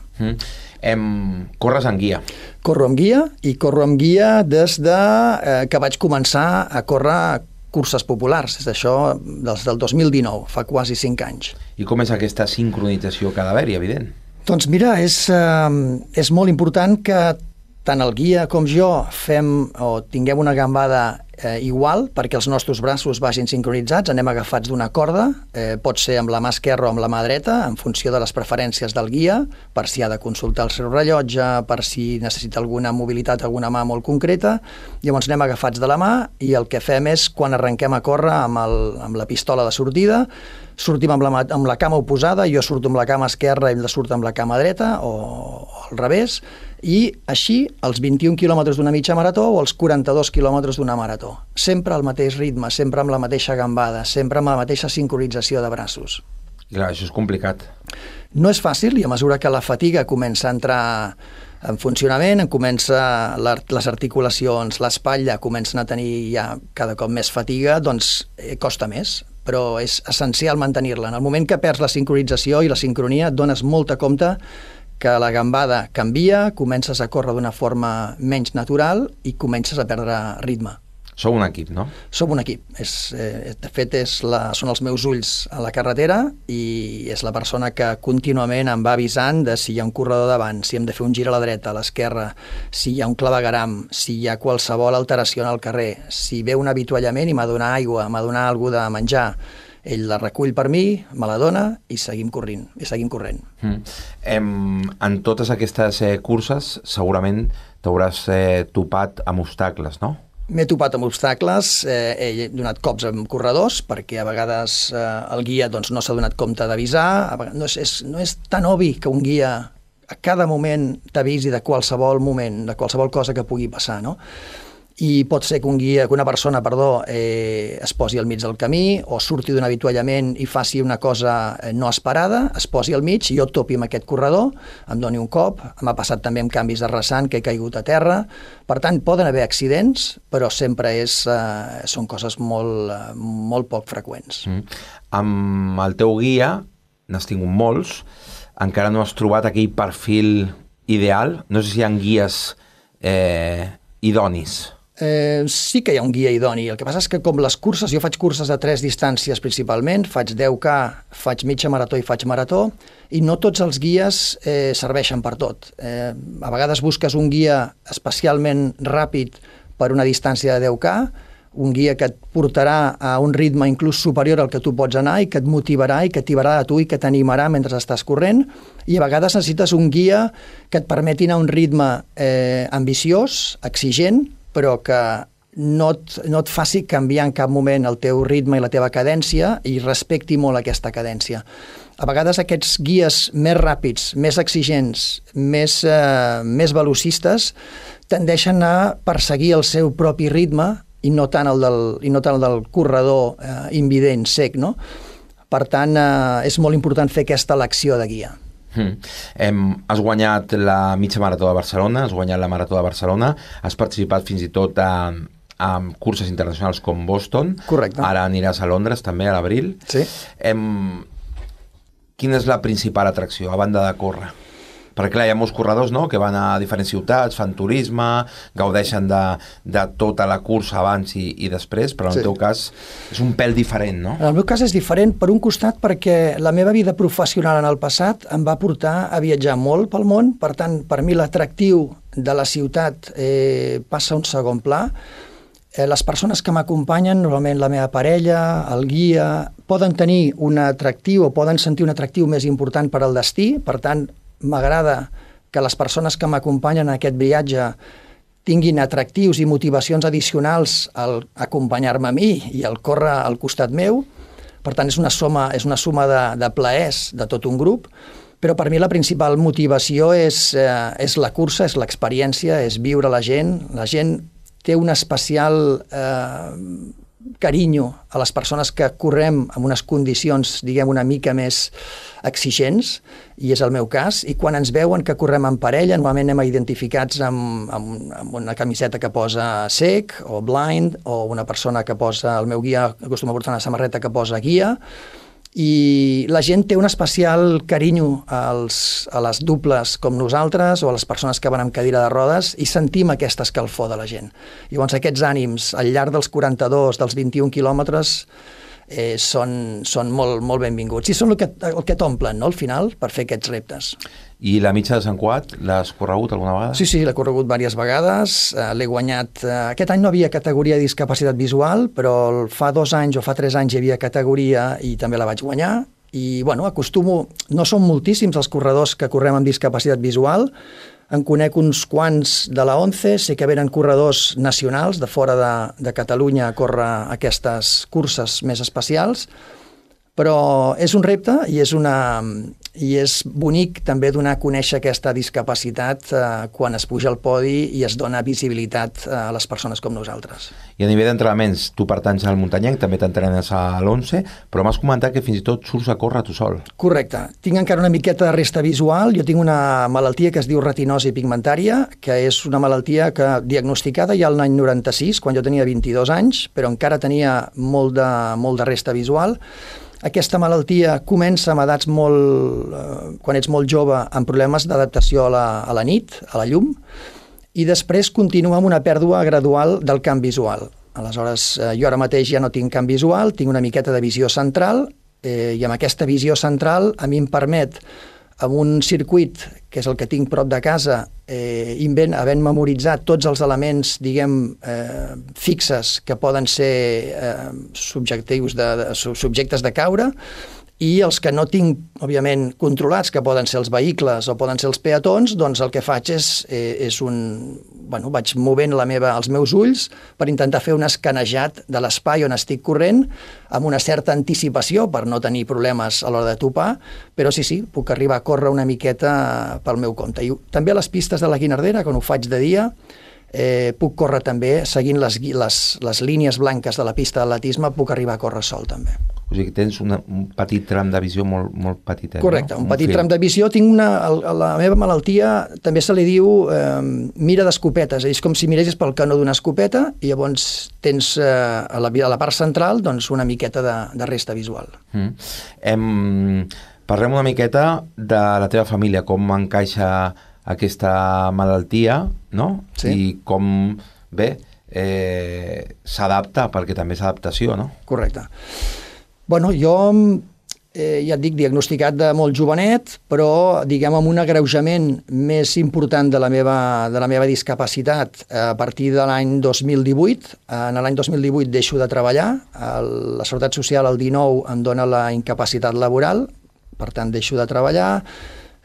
Corres amb guia? Corro amb guia i corro amb guia des que vaig començar a córrer curses populars, és això des del 2019, fa quasi 5 anys. I com és aquesta sincronització que ha d'haver-hi, evident? Doncs mira, és molt important que tant el guia com jo fem o tinguem una gambada igual perquè els nostres braços vagin sincronitzats, anem agafats d'una corda, pot ser amb la mà esquerra o amb la mà dreta, en funció de les preferències del guia, per si ha de consultar el seu rellotge, per si necessita alguna mobilitat, alguna mà molt concreta, llavors anem agafats de la mà i el que fem és, quan arrenquem a córrer amb la pistola de sortida, sortim amb la cama oposada, jo surto amb la cama esquerra i ell surt amb la cama dreta, o al revés, i així els 21 quilòmetres d'una mitja marató o els 42 quilòmetres d'una marató. Sempre al mateix ritme, sempre amb la mateixa gambada, sempre amb la mateixa sincronització de braços. Clar, això és complicat. No és fàcil i a mesura que la fatiga comença a entrar en funcionament, les articulacions, l'espatlla comencen a tenir ja cada cop més fatiga, doncs costa més, però és essencial mantenir-la. En el moment que perds la sincronització i la sincronia et dones molta compte que la gambada canvia, comences a córrer d'una forma menys natural i comences a perdre ritme. Sou un equip, no? Som un equip. De fet, són els meus ulls a la carretera i és la persona que contínuament em va avisant de si hi ha un corredor davant, si hem de fer un gir a la dreta, a l'esquerra, si hi ha un clavegueram, si hi ha qualsevol alteració en el carrer, si ve un avituallament i m'ha de donar aigua, m'ha de donar alguna de menjar. Ell la recull per mi, me la dona i seguim corrent. En totes aquestes curses segurament t'hauràs topat amb obstacles, no? M'he topat amb obstacles, he donat cops amb corredors perquè a vegades el guia no s'ha donat compte d'avisar, no és tan obvi que un guia a cada moment t'avisi de qualsevol moment, de qualsevol cosa que pugui passar, no? I pot ser que una persona es posi al mig del camí o surti d'un avituallament i faci una cosa no esperada, es posi al mig i jo topi amb aquest corredor, em doni un cop, m'ha passat també amb canvis de rasant que he caigut a terra, per tant poden haver accidents, però sempre són coses molt poc freqüents. Amb el teu guia, n'has tingut molts, encara no has trobat aquell perfil ideal, no sé si hi ha guies idonis. Sí que hi ha un guia idoni. El que passa és que com les curses, jo faig curses de 3 distàncies principalment, faig 10K, faig mitja marató i faig marató, i no tots els guies serveixen per tot. A vegades busques un guia especialment ràpid per una distància de 10K, un guia que et portarà a un ritme inclús superior al que tu pots anar i que et motivarà i que t'hibarà a tu i que t'animarà mentre estàs corrent, i a vegades necessites un guia que et permeti anar a un ritme ambiciós, exigent, però que no et faci canviar en cap moment el teu ritme i la teva cadència i respecti molt aquesta cadència. A vegades aquests guies més ràpids, més exigents, més velocistes, tendeixen a perseguir el seu propi ritme i no tant el del corredor invident, sec, no? Per tant, és molt important fer aquesta elecció de guia. Has guanyat la mitja marató de Barcelona, has guanyat la marató de Barcelona, has participat fins i tot a curses internacionals com Boston. Correcte. Ara aniràs a Londres també a l'abril. Sí. Quina és la principal atracció a banda de córrer? Perquè clar, hi ha molts corredors, no?, que van a diferents ciutats, fan turisme, gaudeixen de tota la cursa abans i després, però en el teu cas és un pèl diferent, no? En el meu cas és diferent, per un costat, perquè la meva vida professional en el passat em va portar a viatjar molt pel món, per tant, per mi l'atractiu de la ciutat passa a un segon pla. Les persones que m'acompanyen, normalment la meva parella, el guia, poden tenir un atractiu o poden sentir un atractiu més important per al destí, per tant, m'agrada que les persones que m'acompanyen en aquest viatge tinguin atractius i motivacions addicionals al acompanyar-me a mi i al córrer al costat meu. Per tant, és una suma de plaers de tot un grup, però per mi la principal motivació és la cursa, és l'experiència, és viure la gent. La gent té un especial carinyo a les persones que correm en unes condicions, diguem, una mica més exigents, i és el meu cas, i quan ens veuen que correm en parella, normalment anem identificats amb una camiseta que posa sec o blind, o una persona que posa, el meu guia acostuma a portar una samarreta que posa guia, i la gent té un especial carinyo a les dobles com nosaltres o a les persones que van amb cadira de rodes i sentim aquesta escalfor de la gent. Llavors aquests ànims al llarg dels 42, dels 21 quilòmetres són molt benvinguts i són el que t'omplen, no?, al final, per fer aquests reptes. I la mitja de Sant Cugat, l'has corregut alguna vegada? Sí, l'he corregut diverses vegades, l'he guanyat. Aquest any no havia categoria de discapacitat visual, però fa 2 anys o fa 3 anys hi havia categoria i també la vaig guanyar. I, bueno, no són moltíssims els corredors que correm amb discapacitat visual, en conec uns quants de la ONCE, sé que venen corredors nacionals de fora de Catalunya a córrer aquestes curses més especials, però és un repte i és bonic també donar a conèixer aquesta discapacitat quan es puja al podi i es dona visibilitat a les persones com nosaltres. I a nivell d'entrenaments, tu pertanys al muntanyenc, també t'entrenes a l'11, però m'has comentat que fins i tot surts a córrer tu sol. Correcte. Tinc encara una miqueta de resta visual. Jo tinc una malaltia que es diu retinosi pigmentària, que és una malaltia diagnosticada ja l'any 96, quan jo tenia 22 anys, però encara tenia molt de resta visual. Aquesta malaltia comença amb edats quan ets molt jove, amb problemes d'adaptació a la nit, a la llum, i després continua amb una pèrdua gradual del camp visual. Aleshores, jo ara mateix ja no tinc camp visual, tinc una miqueta de visió central, i amb aquesta visió central a mi em permet, amb un circuit, que és el que tinc prop de casa, havent memoritzat tots els elements, fixes, que poden ser subjectes de caure, i els que no tinc, òbviament, controlats, que poden ser els vehicles o poden ser els peatons, doncs el que faig vaig movent els meus ulls per intentar fer un escanejat de l'espai on estic corrent, amb una certa anticipació per no tenir problemes a l'hora de topar, però sí, puc arribar a córrer una miqueta pel meu compte. I també a les pistes de la Guinardera, quan ho faig de dia, puc córrer també, seguint les línies blanques de la pista d'atletisme, puc arribar a córrer sol també. O sigui que tens un petit tram de visió molt petitet. Correcte, un petit tram de visió. La meva malaltia també se li diu mira d'escopetes, és com si miressis pel canó d'una escopeta i llavors tens a la part central una miqueta de resta visual. Parlem una miqueta de la teva família, com encaixa aquesta malaltia, no? Sí. I com, s'adapta, perquè també és adaptació, no? Correcte. Bueno, jo ja et dic, diagnosticat de molt jovenet, però amb un agreujament més important de la meva discapacitat a partir de l'any 2018. En l'any 2018 deixo de treballar, la Seguretat Social el 19 em dona la incapacitat laboral, per tant deixo de treballar,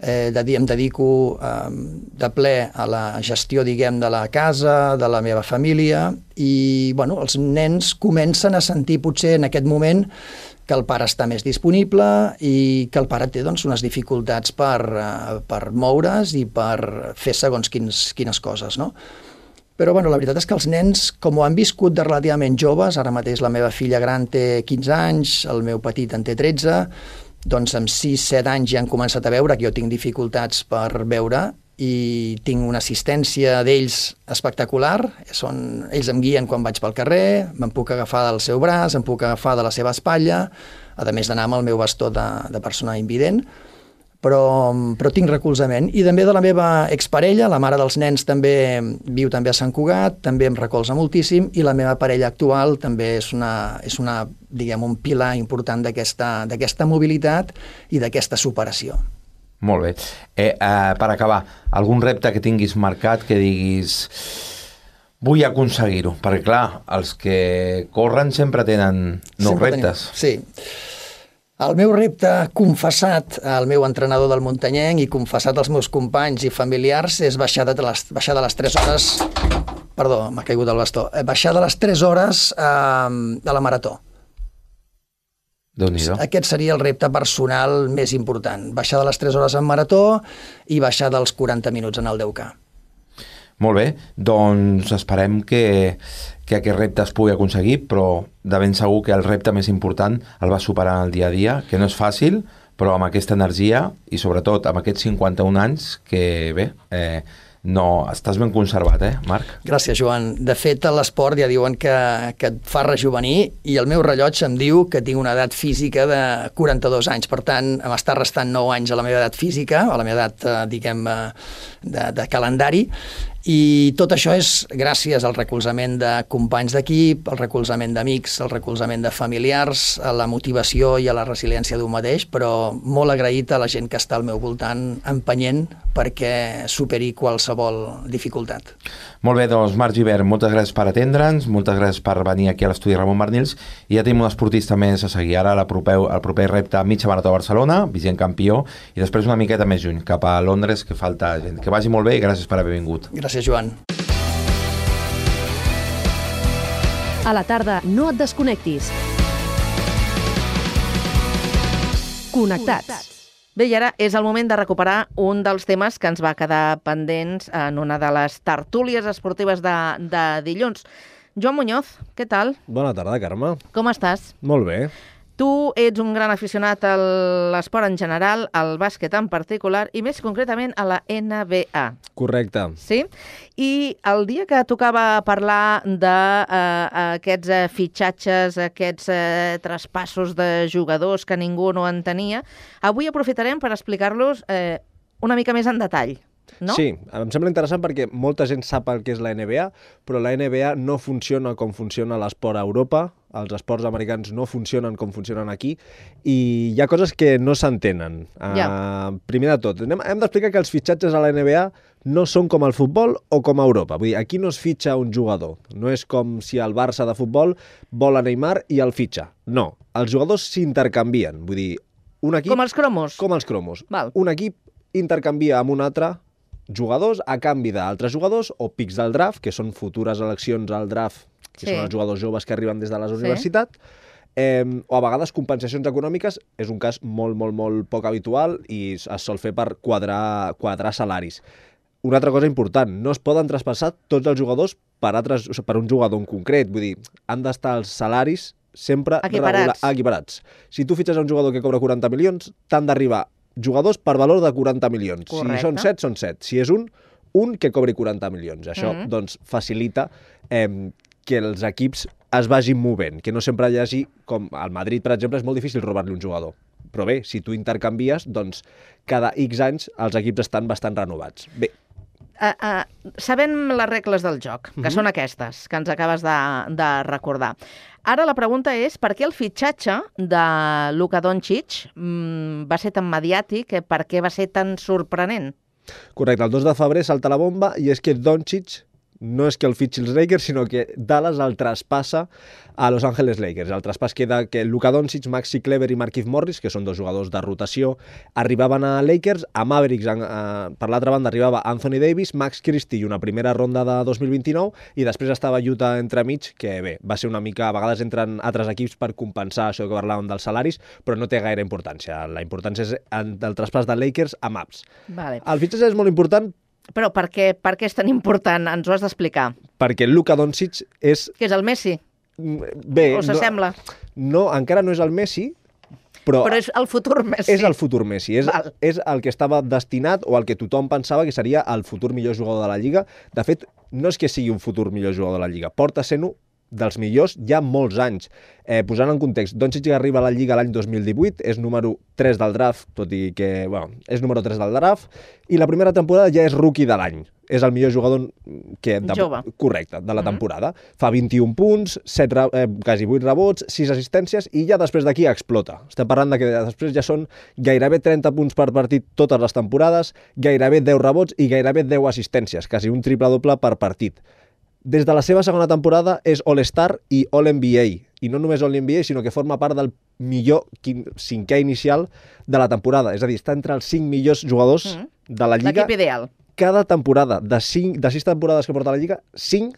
em dedico de ple a la gestió, de la casa, de la meva família, i els nens comencen a sentir potser en aquest moment que el pare està més disponible i que el pare té unes dificultats per moure's i per fer segons quines coses, no? Però la veritat és que els nens, com ho han viscut de relativament joves, ara mateix la meva filla gran té 15 anys, el meu petit en té 13, doncs amb 6-7 anys ja han començat a veure que jo tinc dificultats per veure i tinc una assistència d'ells espectacular. Ells em guien quan vaig pel carrer, me'n puc agafar del seu braç, em puc agafar de la seva espatlla, a més d'anar amb el meu bastó de persona invident, però tinc recolzament. I també de la meva exparella, la mare dels nens viu també a Sant Cugat, també em recolza moltíssim, i la meva parella actual també és un pilar important d'aquesta mobilitat i d'aquesta superació. Molt bé. Per acabar, algun repte que tinguis marcat, que diguis vull aconseguir-ho? Perquè, clar, els que corren sempre tenen reptes. Sí. El meu repte confessat al meu entrenador del muntanyenc i confessat als meus companys i familiars és baixar de les 3 hores... Perdó, m'ha caigut el bastó. Baixar de les 3 hores de la marató. Déu-n'hi-do. Aquest seria el repte personal més important. Baixar de les 3 hores en marató i baixar dels 40 minuts en el 10K. Molt bé, doncs esperem que aquest repte es pugui aconseguir, però de ben segur que el repte més important el vas superar en el dia a dia, que no és fàcil, però amb aquesta energia i sobretot amb aquests 51 anys que no, estàs ben conservat, Marc? Gràcies, Joan. De fet, a l'esport ja diuen que et fa rejovenir i el meu rellotge em diu que tinc una edat física de 42 anys. Per tant, m'està restant 9 anys a la meva edat física, a la meva edat, de calendari, i tot això és gràcies al recolzament de companys d'equip, al recolzament d'amics, al recolzament de familiars, a la motivació i a la resiliència d'un mateix, però molt agraït a la gent que està al meu voltant empenyent perquè superi qualsevol dificultat. Molt bé, doncs Marc Gibert, moltes gràcies per atendre'ns, moltes gràcies per venir aquí a l'estudi Ramon Barnils, i ja tenim un esportista més a seguir. Ara el proper repte mitja marató a Barcelona, vigent campió, i després una miqueta més lluny, cap a Londres, que falta gent. Que vagi molt bé i gràcies per haver vingut. Gràcies, Joan. A la tarda no et desconnectis. Connectats. Bé, i ara és el moment de recuperar un dels temes que ens va quedar pendents en una de les tertúlies esportives de dilluns. Joan Muñoz, què tal? Bona tarda, Carme. Com estàs? Molt bé. Tu ets un gran aficionat a l'esport en general, al bàsquet en particular, i més concretament a la NBA. Correcte. Sí? I el dia que tocava parlar d'aquests fitxatges, aquests traspassos de jugadors que ningú no entenia, avui aprofitarem per explicar-los una mica més en detall. No? Sí, em sembla interessant perquè molta gent sap el que és la NBA, però la NBA no funciona com funciona l'esport a Europa, els esports americans no funcionen com funcionen aquí, i hi ha coses que no s'entenen. Primer de tot, hem d'explicar que els fitxatges a la NBA no són com el futbol o com a Europa. Vull dir, aquí no es fitxa un jugador. No és com si el Barça de futbol vol a Neymar i el fitxa. No, els jugadors s'intercanvien. Vull dir, un equip... Com els cromos? Com els cromos. Val. Un equip intercanvia amb un altre jugadors a canvi d'altres jugadors o pics del draft, que són futures eleccions al draft, que són els jugadors joves que arriben des de la universitat, o a vegades compensacions econòmiques, és un cas molt, molt, molt poc habitual i es sol fer per quadrar salaris. Una altra cosa important, no es poden traspassar tots els jugadors per un jugador en concret, vull dir, han d'estar els salaris sempre equiparats. Si tu fitxes un jugador que cobra 40 milions, t'han d'arribar jugadors per valor de 40 milions. Correcte. Si són 7, són 7. Si és un que cobri 40 milions. Això doncs, facilita que els equips es vagin movent, que no sempre hi hagi, com al Madrid, per exemple, és molt difícil robar-li un jugador. Però bé, si tu intercanvies, doncs cada X anys els equips estan bastant renovats. Bé. Sabem les regles del joc, que són aquestes, que ens acabes de recordar. Ara la pregunta és per què el fitxatge de Luka Doncic va ser tan mediàtic, per què va ser tan sorprenent? Correcte, el 2 de febrer salta la bomba i és que Doncic no és que el fitxi els Lakers, sinó que Dallas el traspassa a Los Angeles Lakers. El traspàs queda que Luka Doncic, Maxi Kleber i Markieff Morris, que són dos jugadors de rotació, arribaven a Lakers. A Mavericks, per l'altra banda, arribava Anthony Davis, Max Christie i una primera ronda de 2029, i després estava Utah entremig, que bé, va ser una mica... A vegades entren altres equips per compensar això que parlàvem dels salaris, però no té gaire importància. La importància és el traspàs de Lakers a Mavs. Vale. El fitxatge és molt important. Però per què és tan important? Ens ho has d'explicar. Perquè Luka Doncic és... Que és el Messi? Bé... O s'assembla? No, encara no és el Messi, però és el futur Messi. És el futur Messi. És el que estava destinat o el que tothom pensava que seria el futur millor jugador de la Lliga. De fet, no és que sigui un futur millor jugador de la Lliga. Porta sent-ho dels millors ja molts anys. Posant en context, Doncic arriba a la Lliga l'any 2018, és número 3 del draft, tot i que, és número 3 del draft, i la primera temporada ja és rookie de l'any. És el millor jugador jove. Correcte, de la temporada. Fa 21 punts, quasi 8 rebots, 6 assistències, i ja després d'aquí explota. Estem parlant de que després ja són gairebé 30 punts per partit totes les temporades, gairebé 10 rebots i gairebé 10 assistències, quasi un triple-doble per partit. Des de la seva segona temporada és All-Star i All-NBA. I no només All-NBA, sinó que forma part del millor cinquè inicial de la temporada. És a dir, està entre els 5 millors jugadors de la Lliga. L'equip ideal. Cada temporada, de 6 temporades que porta la Lliga, 5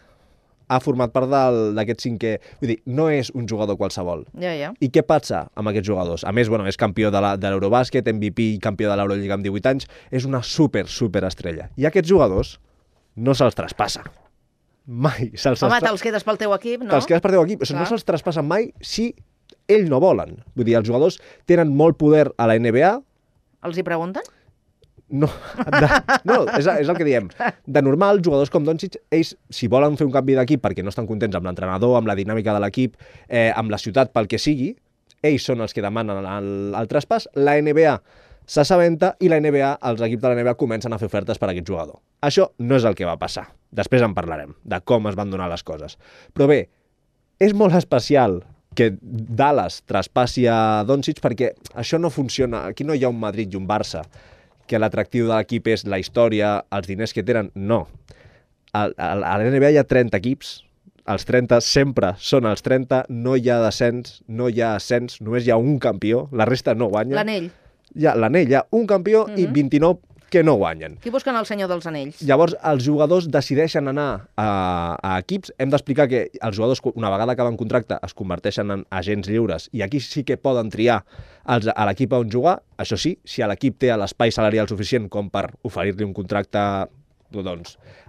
ha format part d'aquest cinquè. Vull dir, no és un jugador qualsevol. Ja. I què passa amb aquests jugadors? A més, és campió de l'Eurobàsquet, MVP i campió de l'Eurolliga amb 18 anys. És una super estrella. I aquests jugadors no se'ls traspassa. Mai. Home, te'ls quedes pel teu equip, no? Te'ls quedes pel teu equip. No se'ls traspassen mai si ells no volen. Vull dir, els jugadors tenen molt poder a la NBA. Els hi pregunten? No, és el que diem. De normal, jugadors com Doncic, ells, si volen fer un canvi d'equip perquè no estan contents amb l'entrenador, amb la dinàmica de l'equip, amb la ciutat, pel que sigui, ells són els que demanen el traspàs. La NBA s'assabenta i els equips de la NBA comencen a fer ofertes per a aquest jugador. Això no és el que va passar. Després en parlarem, de com es van donar les coses. Però bé, és molt especial que Dallas traspassi a Doncic perquè això no funciona. Aquí no hi ha un Madrid i un Barça, que l'atractiu de l'equip és la història, els diners que tenen. No. A la NBA hi ha 30 equips, els 30 sempre són els 30, no hi ha descens, no hi ha ascens, només hi ha un campió, la resta no guanya. L'anell. Hi ha un campió i 29 que no guanyen. Qui busquen el senyor dels anells? Llavors, els jugadors decideixen anar a equips. Hem d'explicar que els jugadors, una vegada acaben contracte, es converteixen en agents lliures i aquí sí que poden triar a l'equip on jugar. Això sí, si l'equip té l'espai salarial suficient com per oferir-li un contracte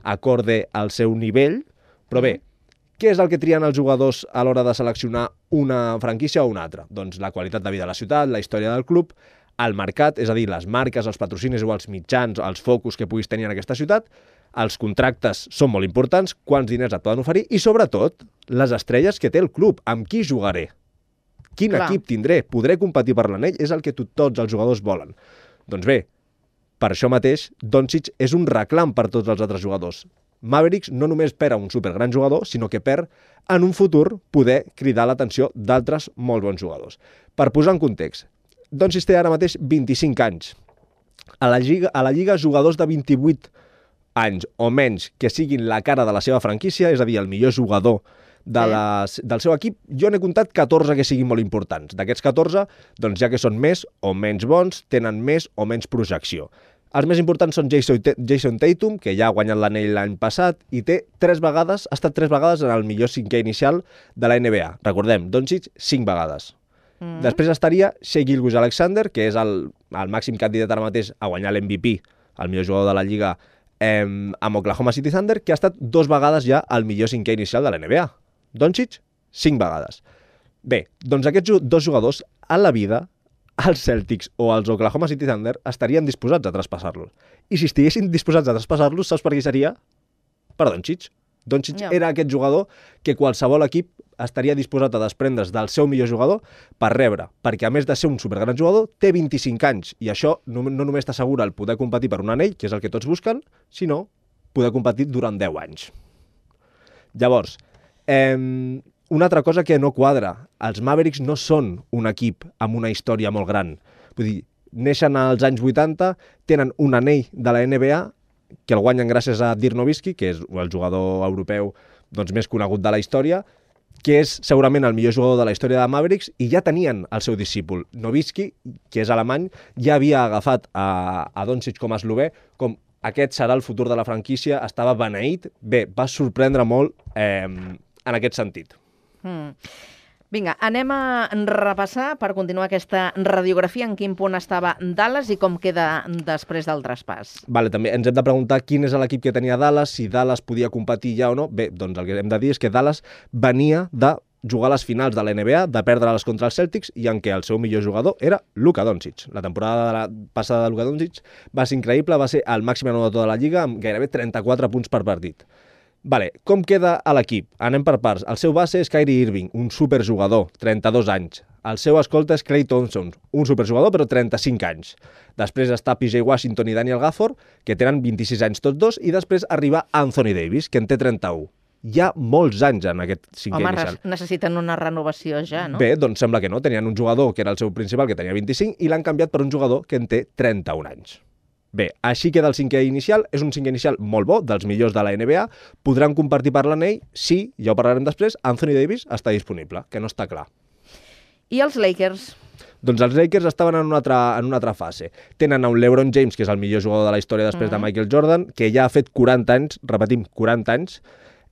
acorde al seu nivell. Però bé, Què és el que trien els jugadors a l'hora de seleccionar una franquícia o una altra? Doncs la qualitat de vida de la ciutat, la història del club, el mercat, és a dir, les marques, els patrocinis o els mitjans, els focus que puguis tenir en aquesta ciutat, els contractes són molt importants, quants diners et poden oferir i, sobretot, les estrelles que té el club, amb qui jugaré, quin equip tindré, podré competir per l'anell, és el que tots els jugadors volen. Doncs bé, per això mateix, Doncic és un reclam per tots els altres jugadors. Mavericks no només perd un supergran jugador, sinó que perd en un futur poder cridar l'atenció d'altres molt bons jugadors. Per posar en context, Doncic té ara mateix 25 anys. A la Lliga, jugadors de 28 anys o menys que siguin la cara de la seva franquícia, és a dir, el millor jugador del seu equip, jo n'he comptat 14 que siguin molt importants. D'aquests 14, doncs ja que són més o menys bons, tenen més o menys projecció. Els més importants són Jason Tatum, que ja ha guanyat l'anell l'any passat i ha estat 3 vegades en el millor cinquè inicial de la NBA. Recordem, Doncic 5 vegades. Després estaria Shai Gilgeous-Alexander, que és el màxim candidat ara mateix a guanyar l'MVP, el millor jugador de la Lliga, amb Oklahoma City Thunder, que ha estat 2 vegades ja el millor cinquè inicial de la NBA. Doncic, 5 vegades. Bé, doncs aquests 2 jugadors, a la vida, els Celtics o els Oklahoma City Thunder estarien disposats a traspassar-los. I si estiguessin disposats a traspassar-los, saps per qui seria? Per Doncic. Doncic era aquest jugador que qualsevol equip estaria disposat a desprendre's del seu millor jugador per rebre, perquè a més de ser un supergran jugador, té 25 anys, i això no només t'assegura el poder competir per un anell, que és el que tots busquen, sinó poder competir durant 10 anys. Llavors, una altra cosa que no quadra, els Mavericks no són un equip amb una història molt gran. Vull dir, neixen als anys 80, tenen un anell de la NBA, que el guanyen gràcies a Dirk Nowitzki, que és el jugador europeu més conegut de la història, que és segurament el millor jugador de la història de Mavericks, i ja tenien el seu discípul. Nowitzki, que és alemany, ja havia agafat a Doncic com a eslovè, com aquest serà el futur de la franquícia, estava beneït. Bé, va sorprendre molt en aquest sentit. Vinga, anem a repassar per continuar aquesta radiografia en quin punt estava Dallas i com queda després del traspàs. Vale, també ens hem de preguntar quin és l'equip que tenia Dallas, si Dallas podia competir ja o no. Bé, doncs el que hem de dir és que Dallas venia de jugar a les finals de la NBA, de perdre-les contra els Celtics, i en què el seu millor jugador era Luka Doncic. La temporada passada de Luka Doncic va ser increïble, va ser el màxim anotador de la Lliga amb gairebé 34 punts per partit. Vale, com queda a l'equip? Anem per parts. El seu base és Kyrie Irving, un superjugador, 32 anys. El seu escolta és Klay Thompson, un superjugador però 35 anys. Després està PJ Washington i Daniel Gafford, que tenen 26 anys tots dos, i després arriba Anthony Davis, que en té 31. Hi ha molts anys en aquest cinquè inicial. Home, necessiten una renovació ja, no? Bé, doncs sembla que no. Tenien un jugador que era el seu principal, que tenia 25, i l'han canviat per un jugador que en té 31 anys. Bé, així queda el cinquè inicial. És un cinquè inicial molt bo, dels millors de la NBA. Podran compartir per l'anell si, ja ho parlarem després, Anthony Davis està disponible, que no està clar. I els Lakers? Doncs els Lakers estaven en una altra fase. Tenen un LeBron James, que és el millor jugador de la història després de Michael Jordan, que ja ha fet 40 anys, repetim, 40 anys,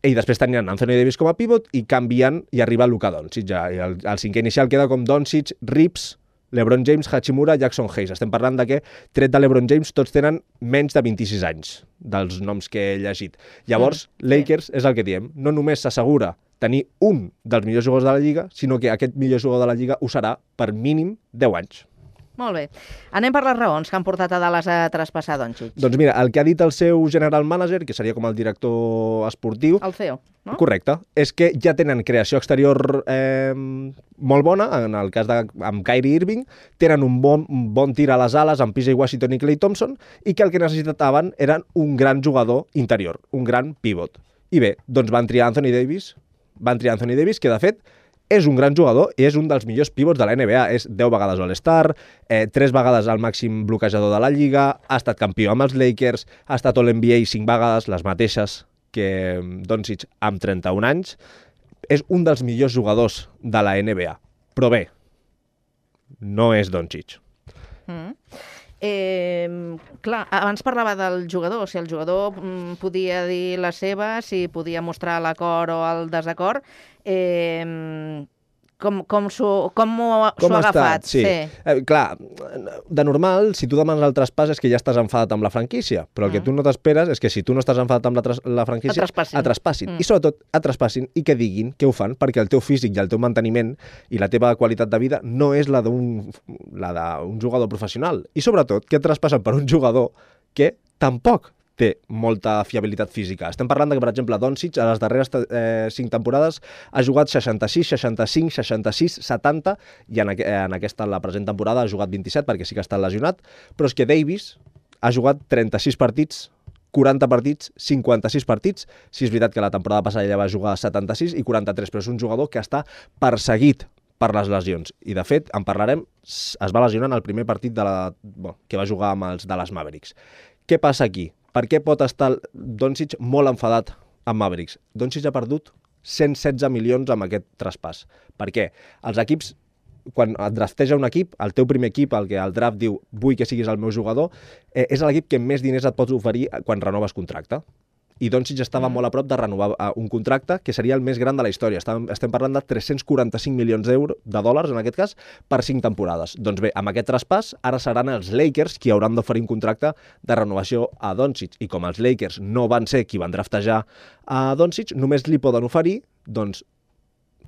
i després tenien Anthony Davis com a pivot i canvien i arriba Luka Doncic. El cinquè inicial queda com Doncic, Reeves, LeBron James, Hachimura, Jackson Hayes. Estem parlant de que, tret de LeBron James, tots tenen menys de 26 anys, dels noms que he llegit. Llavors, Lakers és el que diem. No només s'assegura tenir un dels millors jugadors de la Lliga, sinó que aquest millor jugador de la Lliga ho serà per mínim 10 anys. Molt bé. Anem per les raons que han portat a Dallas a traspassar Doncic. Doncs mira, el que ha dit el seu general manager, que seria com el director esportiu... El CEO, no? Correcte. És que ja tenen creació exterior molt bona, en el cas amb Kyrie Irving, tenen un bon tir a les ales amb PJ Washington i Klay Thompson, i que el que necessitaven eren un gran jugador interior, un gran pivot. I bé, doncs van triar Anthony Davis, que de fet és un gran jugador i és un dels millors pivots de la NBA. És 10 vegades All-Star, 3 vegades el màxim bloquejador de la Lliga, ha estat campió amb els Lakers, ha estat All-NBA 5 vegades, les mateixes que Doncic amb 31 anys. És un dels millors jugadors de la NBA. Però bé, no és Doncic. Clar, abans parlava del jugador, si el jugador podia dir la seva, si podia mostrar l'acord o el desacord. com s'ho ha agafat. Sí. Clar, de normal, si tu demanes el traspàs és que ja estàs enfadat amb la franquícia, però el que tu no t'esperes és que si tu no estàs enfadat amb la franquícia, et traspassin. I sobretot, et traspassin i que diguin que ho fan perquè el teu físic i el teu manteniment i la teva qualitat de vida no és la d'un jugador professional. I sobretot, que et traspassen per un jugador que tampoc té molta fiabilitat física. Estem parlant que, per exemple, Doncic a les darreres 5 temporades ha jugat 66, 65, 66, 70 i en aquesta, la present temporada, ha jugat 27 perquè sí que ha estat lesionat, però és que Davis ha jugat 36 partits, 40 partits, 56 partits. Sí, és veritat que la temporada passada ja va jugar 76 i 43, però és un jugador que està perseguit per les lesions. I, de fet, en parlarem, es va lesionar en el primer partit que va jugar amb els Dallas Mavericks. Què passa aquí? Per què pot estar Doncic molt enfadat amb Mavericks? Doncic ha perdut 116 milions amb aquest traspàs. Per què? Els equips, quan et drafteja un equip, el teu primer equip, el que el draft diu vull que siguis el meu jugador, és l'equip que més diners et pots oferir quan renoves contracte. I Doncic estava molt a prop de renovar un contracte que seria el més gran de la història. Estem parlant de 345 milions de dòlars, en aquest cas, per 5 temporades. Doncs bé, amb aquest traspàs, ara seran els Lakers qui hauran d'oferir un contracte de renovació a Doncic. I com els Lakers no van ser qui van draftejar a Doncic, només li poden oferir, doncs,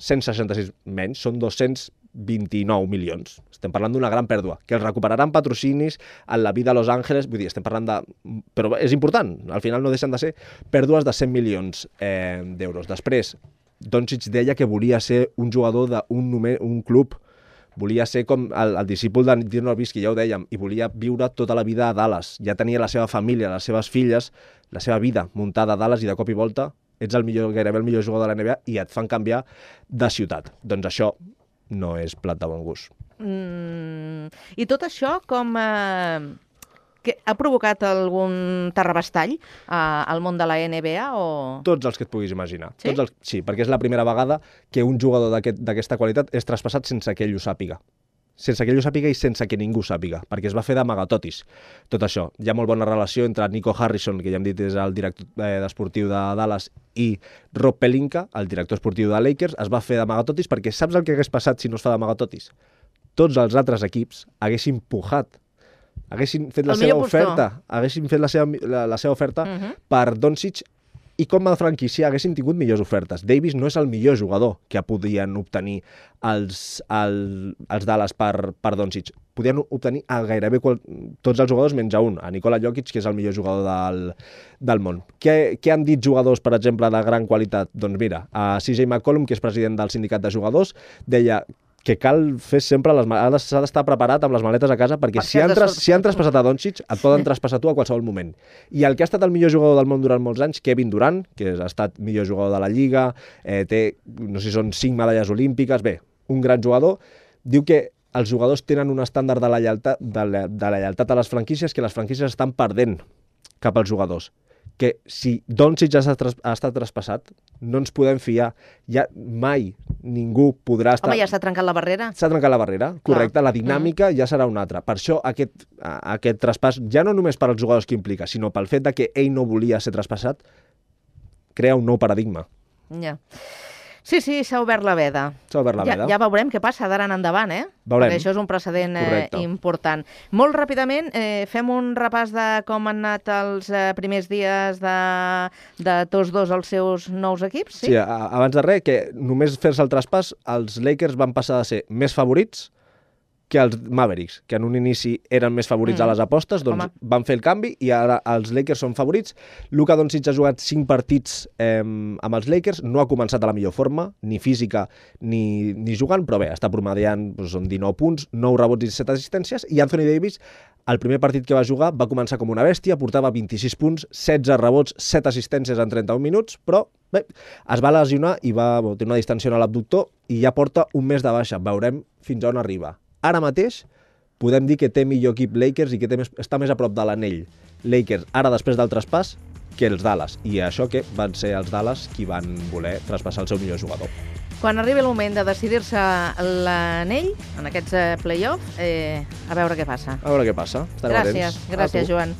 166 menys, són 229 milions. Estem parlant d'una gran pèrdua, que els recuperaran patrocinis en la vida a Los Angeles, vull dir, estem parlant de... Però és important, al final no deixen de ser pèrdues de 100 milions d'euros. Després, Doncic deia que volia ser un jugador d'un club, volia ser com el discípul de Dirk Nowitzki, ja ho dèiem, i volia viure tota la vida a Dallas. Ja tenia la seva família, les seves filles, la seva vida muntada a Dallas i de cop i volta ets gairebé el millor jugador de la NBA i et fan canviar de ciutat. Doncs això no és plat de bon gust. I tot això com... que ha provocat algun terrabastall al món de la NBA o...? Tots els que et puguis imaginar. Sí? Sí, perquè és la primera vegada que un jugador d'aquesta qualitat és traspassat sense que ell ho sàpiga. Sense que ell ho sàpiga i sense que ningú sàpiga, perquè es va fer d'amagatotis. Tot això. Hi ha molt bona relació entre Nico Harrison, que ja hem dit és el director esportiu de Dallas, i Rob Pelinka, el director esportiu de Lakers. Es va fer d'amagatotis perquè saps el que hagués passat si no es fa d'amagatotis? Tots els altres equips haguessin pujat, haguessin fet la seva oferta, haguessin fet la seva oferta per Doncic, i com a franquícia haguessin tingut millors ofertes. Davis no és el millor jugador que podien obtenir els Dallas per Doncic. Podien obtenir a gairebé tots els jugadors menys a un, a Nikola Jokic, que és el millor jugador del món. Què han dit jugadors, per exemple, de gran qualitat? Doncs mira, a CJ McCollum, que és president del sindicat de jugadors, deia que cal fer sempre s'ha d'estar preparat amb les maletes a casa perquè si han traspassat a Doncic et poden traspassar tu a qualsevol moment. I el que ha estat el millor jugador del món durant molts anys, Kevin Durant, que ha estat millor jugador de la Lliga, té, no sé si són 5 medalles olímpiques, bé, un gran jugador, diu que els jugadors tenen un estàndard de la lleialtat a les franquícies que les franquícies estan perdent cap als jugadors. Que si Doncic ha estat traspassat, no ens podem fiar. Ja mai ningú podrà estar... Home, ja s'ha trencat la barrera. S'ha trencat la barrera, correcte. La dinàmica ja serà una altra. Per això aquest traspàs, ja no només per als jugadors que implica, sinó pel fet de que ell no volia ser traspassat, crea un nou paradigma. Ja. Sí, s'ha obert la veda. S'ha obert la veda. Ja veurem què passa d'ara en endavant, Veurem. Perquè això és un precedent important. Molt ràpidament, fem un repàs de com han anat els primers dies de tots dos els seus nous equips, sí? Sí, abans de res, que només fer-se el traspàs, els Lakers van passar de ser més favorits que els Mavericks, que en un inici eren més favorits a les apostes, doncs van fer el canvi i ara els Lakers són favorits. Luka Doncic ha jugat 5 partits amb els Lakers, no ha començat a la millor forma, ni física ni jugant, però bé, està promediant, són 19 punts, 9 rebots i 7 assistències, i Anthony Davis, el primer partit que va jugar, va començar com una bèstia, portava 26 punts, 16 rebots, 7 assistències en 31 minuts, però bé, es va lesionar i va tenir una distensió a l'abductor i ja porta un mes de baixa. Veurem fins on arriba. Ara mateix podem dir que té millor equip Lakers i que està més a prop de l'anell Lakers ara després del traspàs que els Dallas. I això que van ser els Dallas qui van voler traspassar el seu millor jugador. Quan arribi el moment de decidir-se l'anell, en aquests play-offs, a veure què passa. A veure què passa. Gràcies, Joan.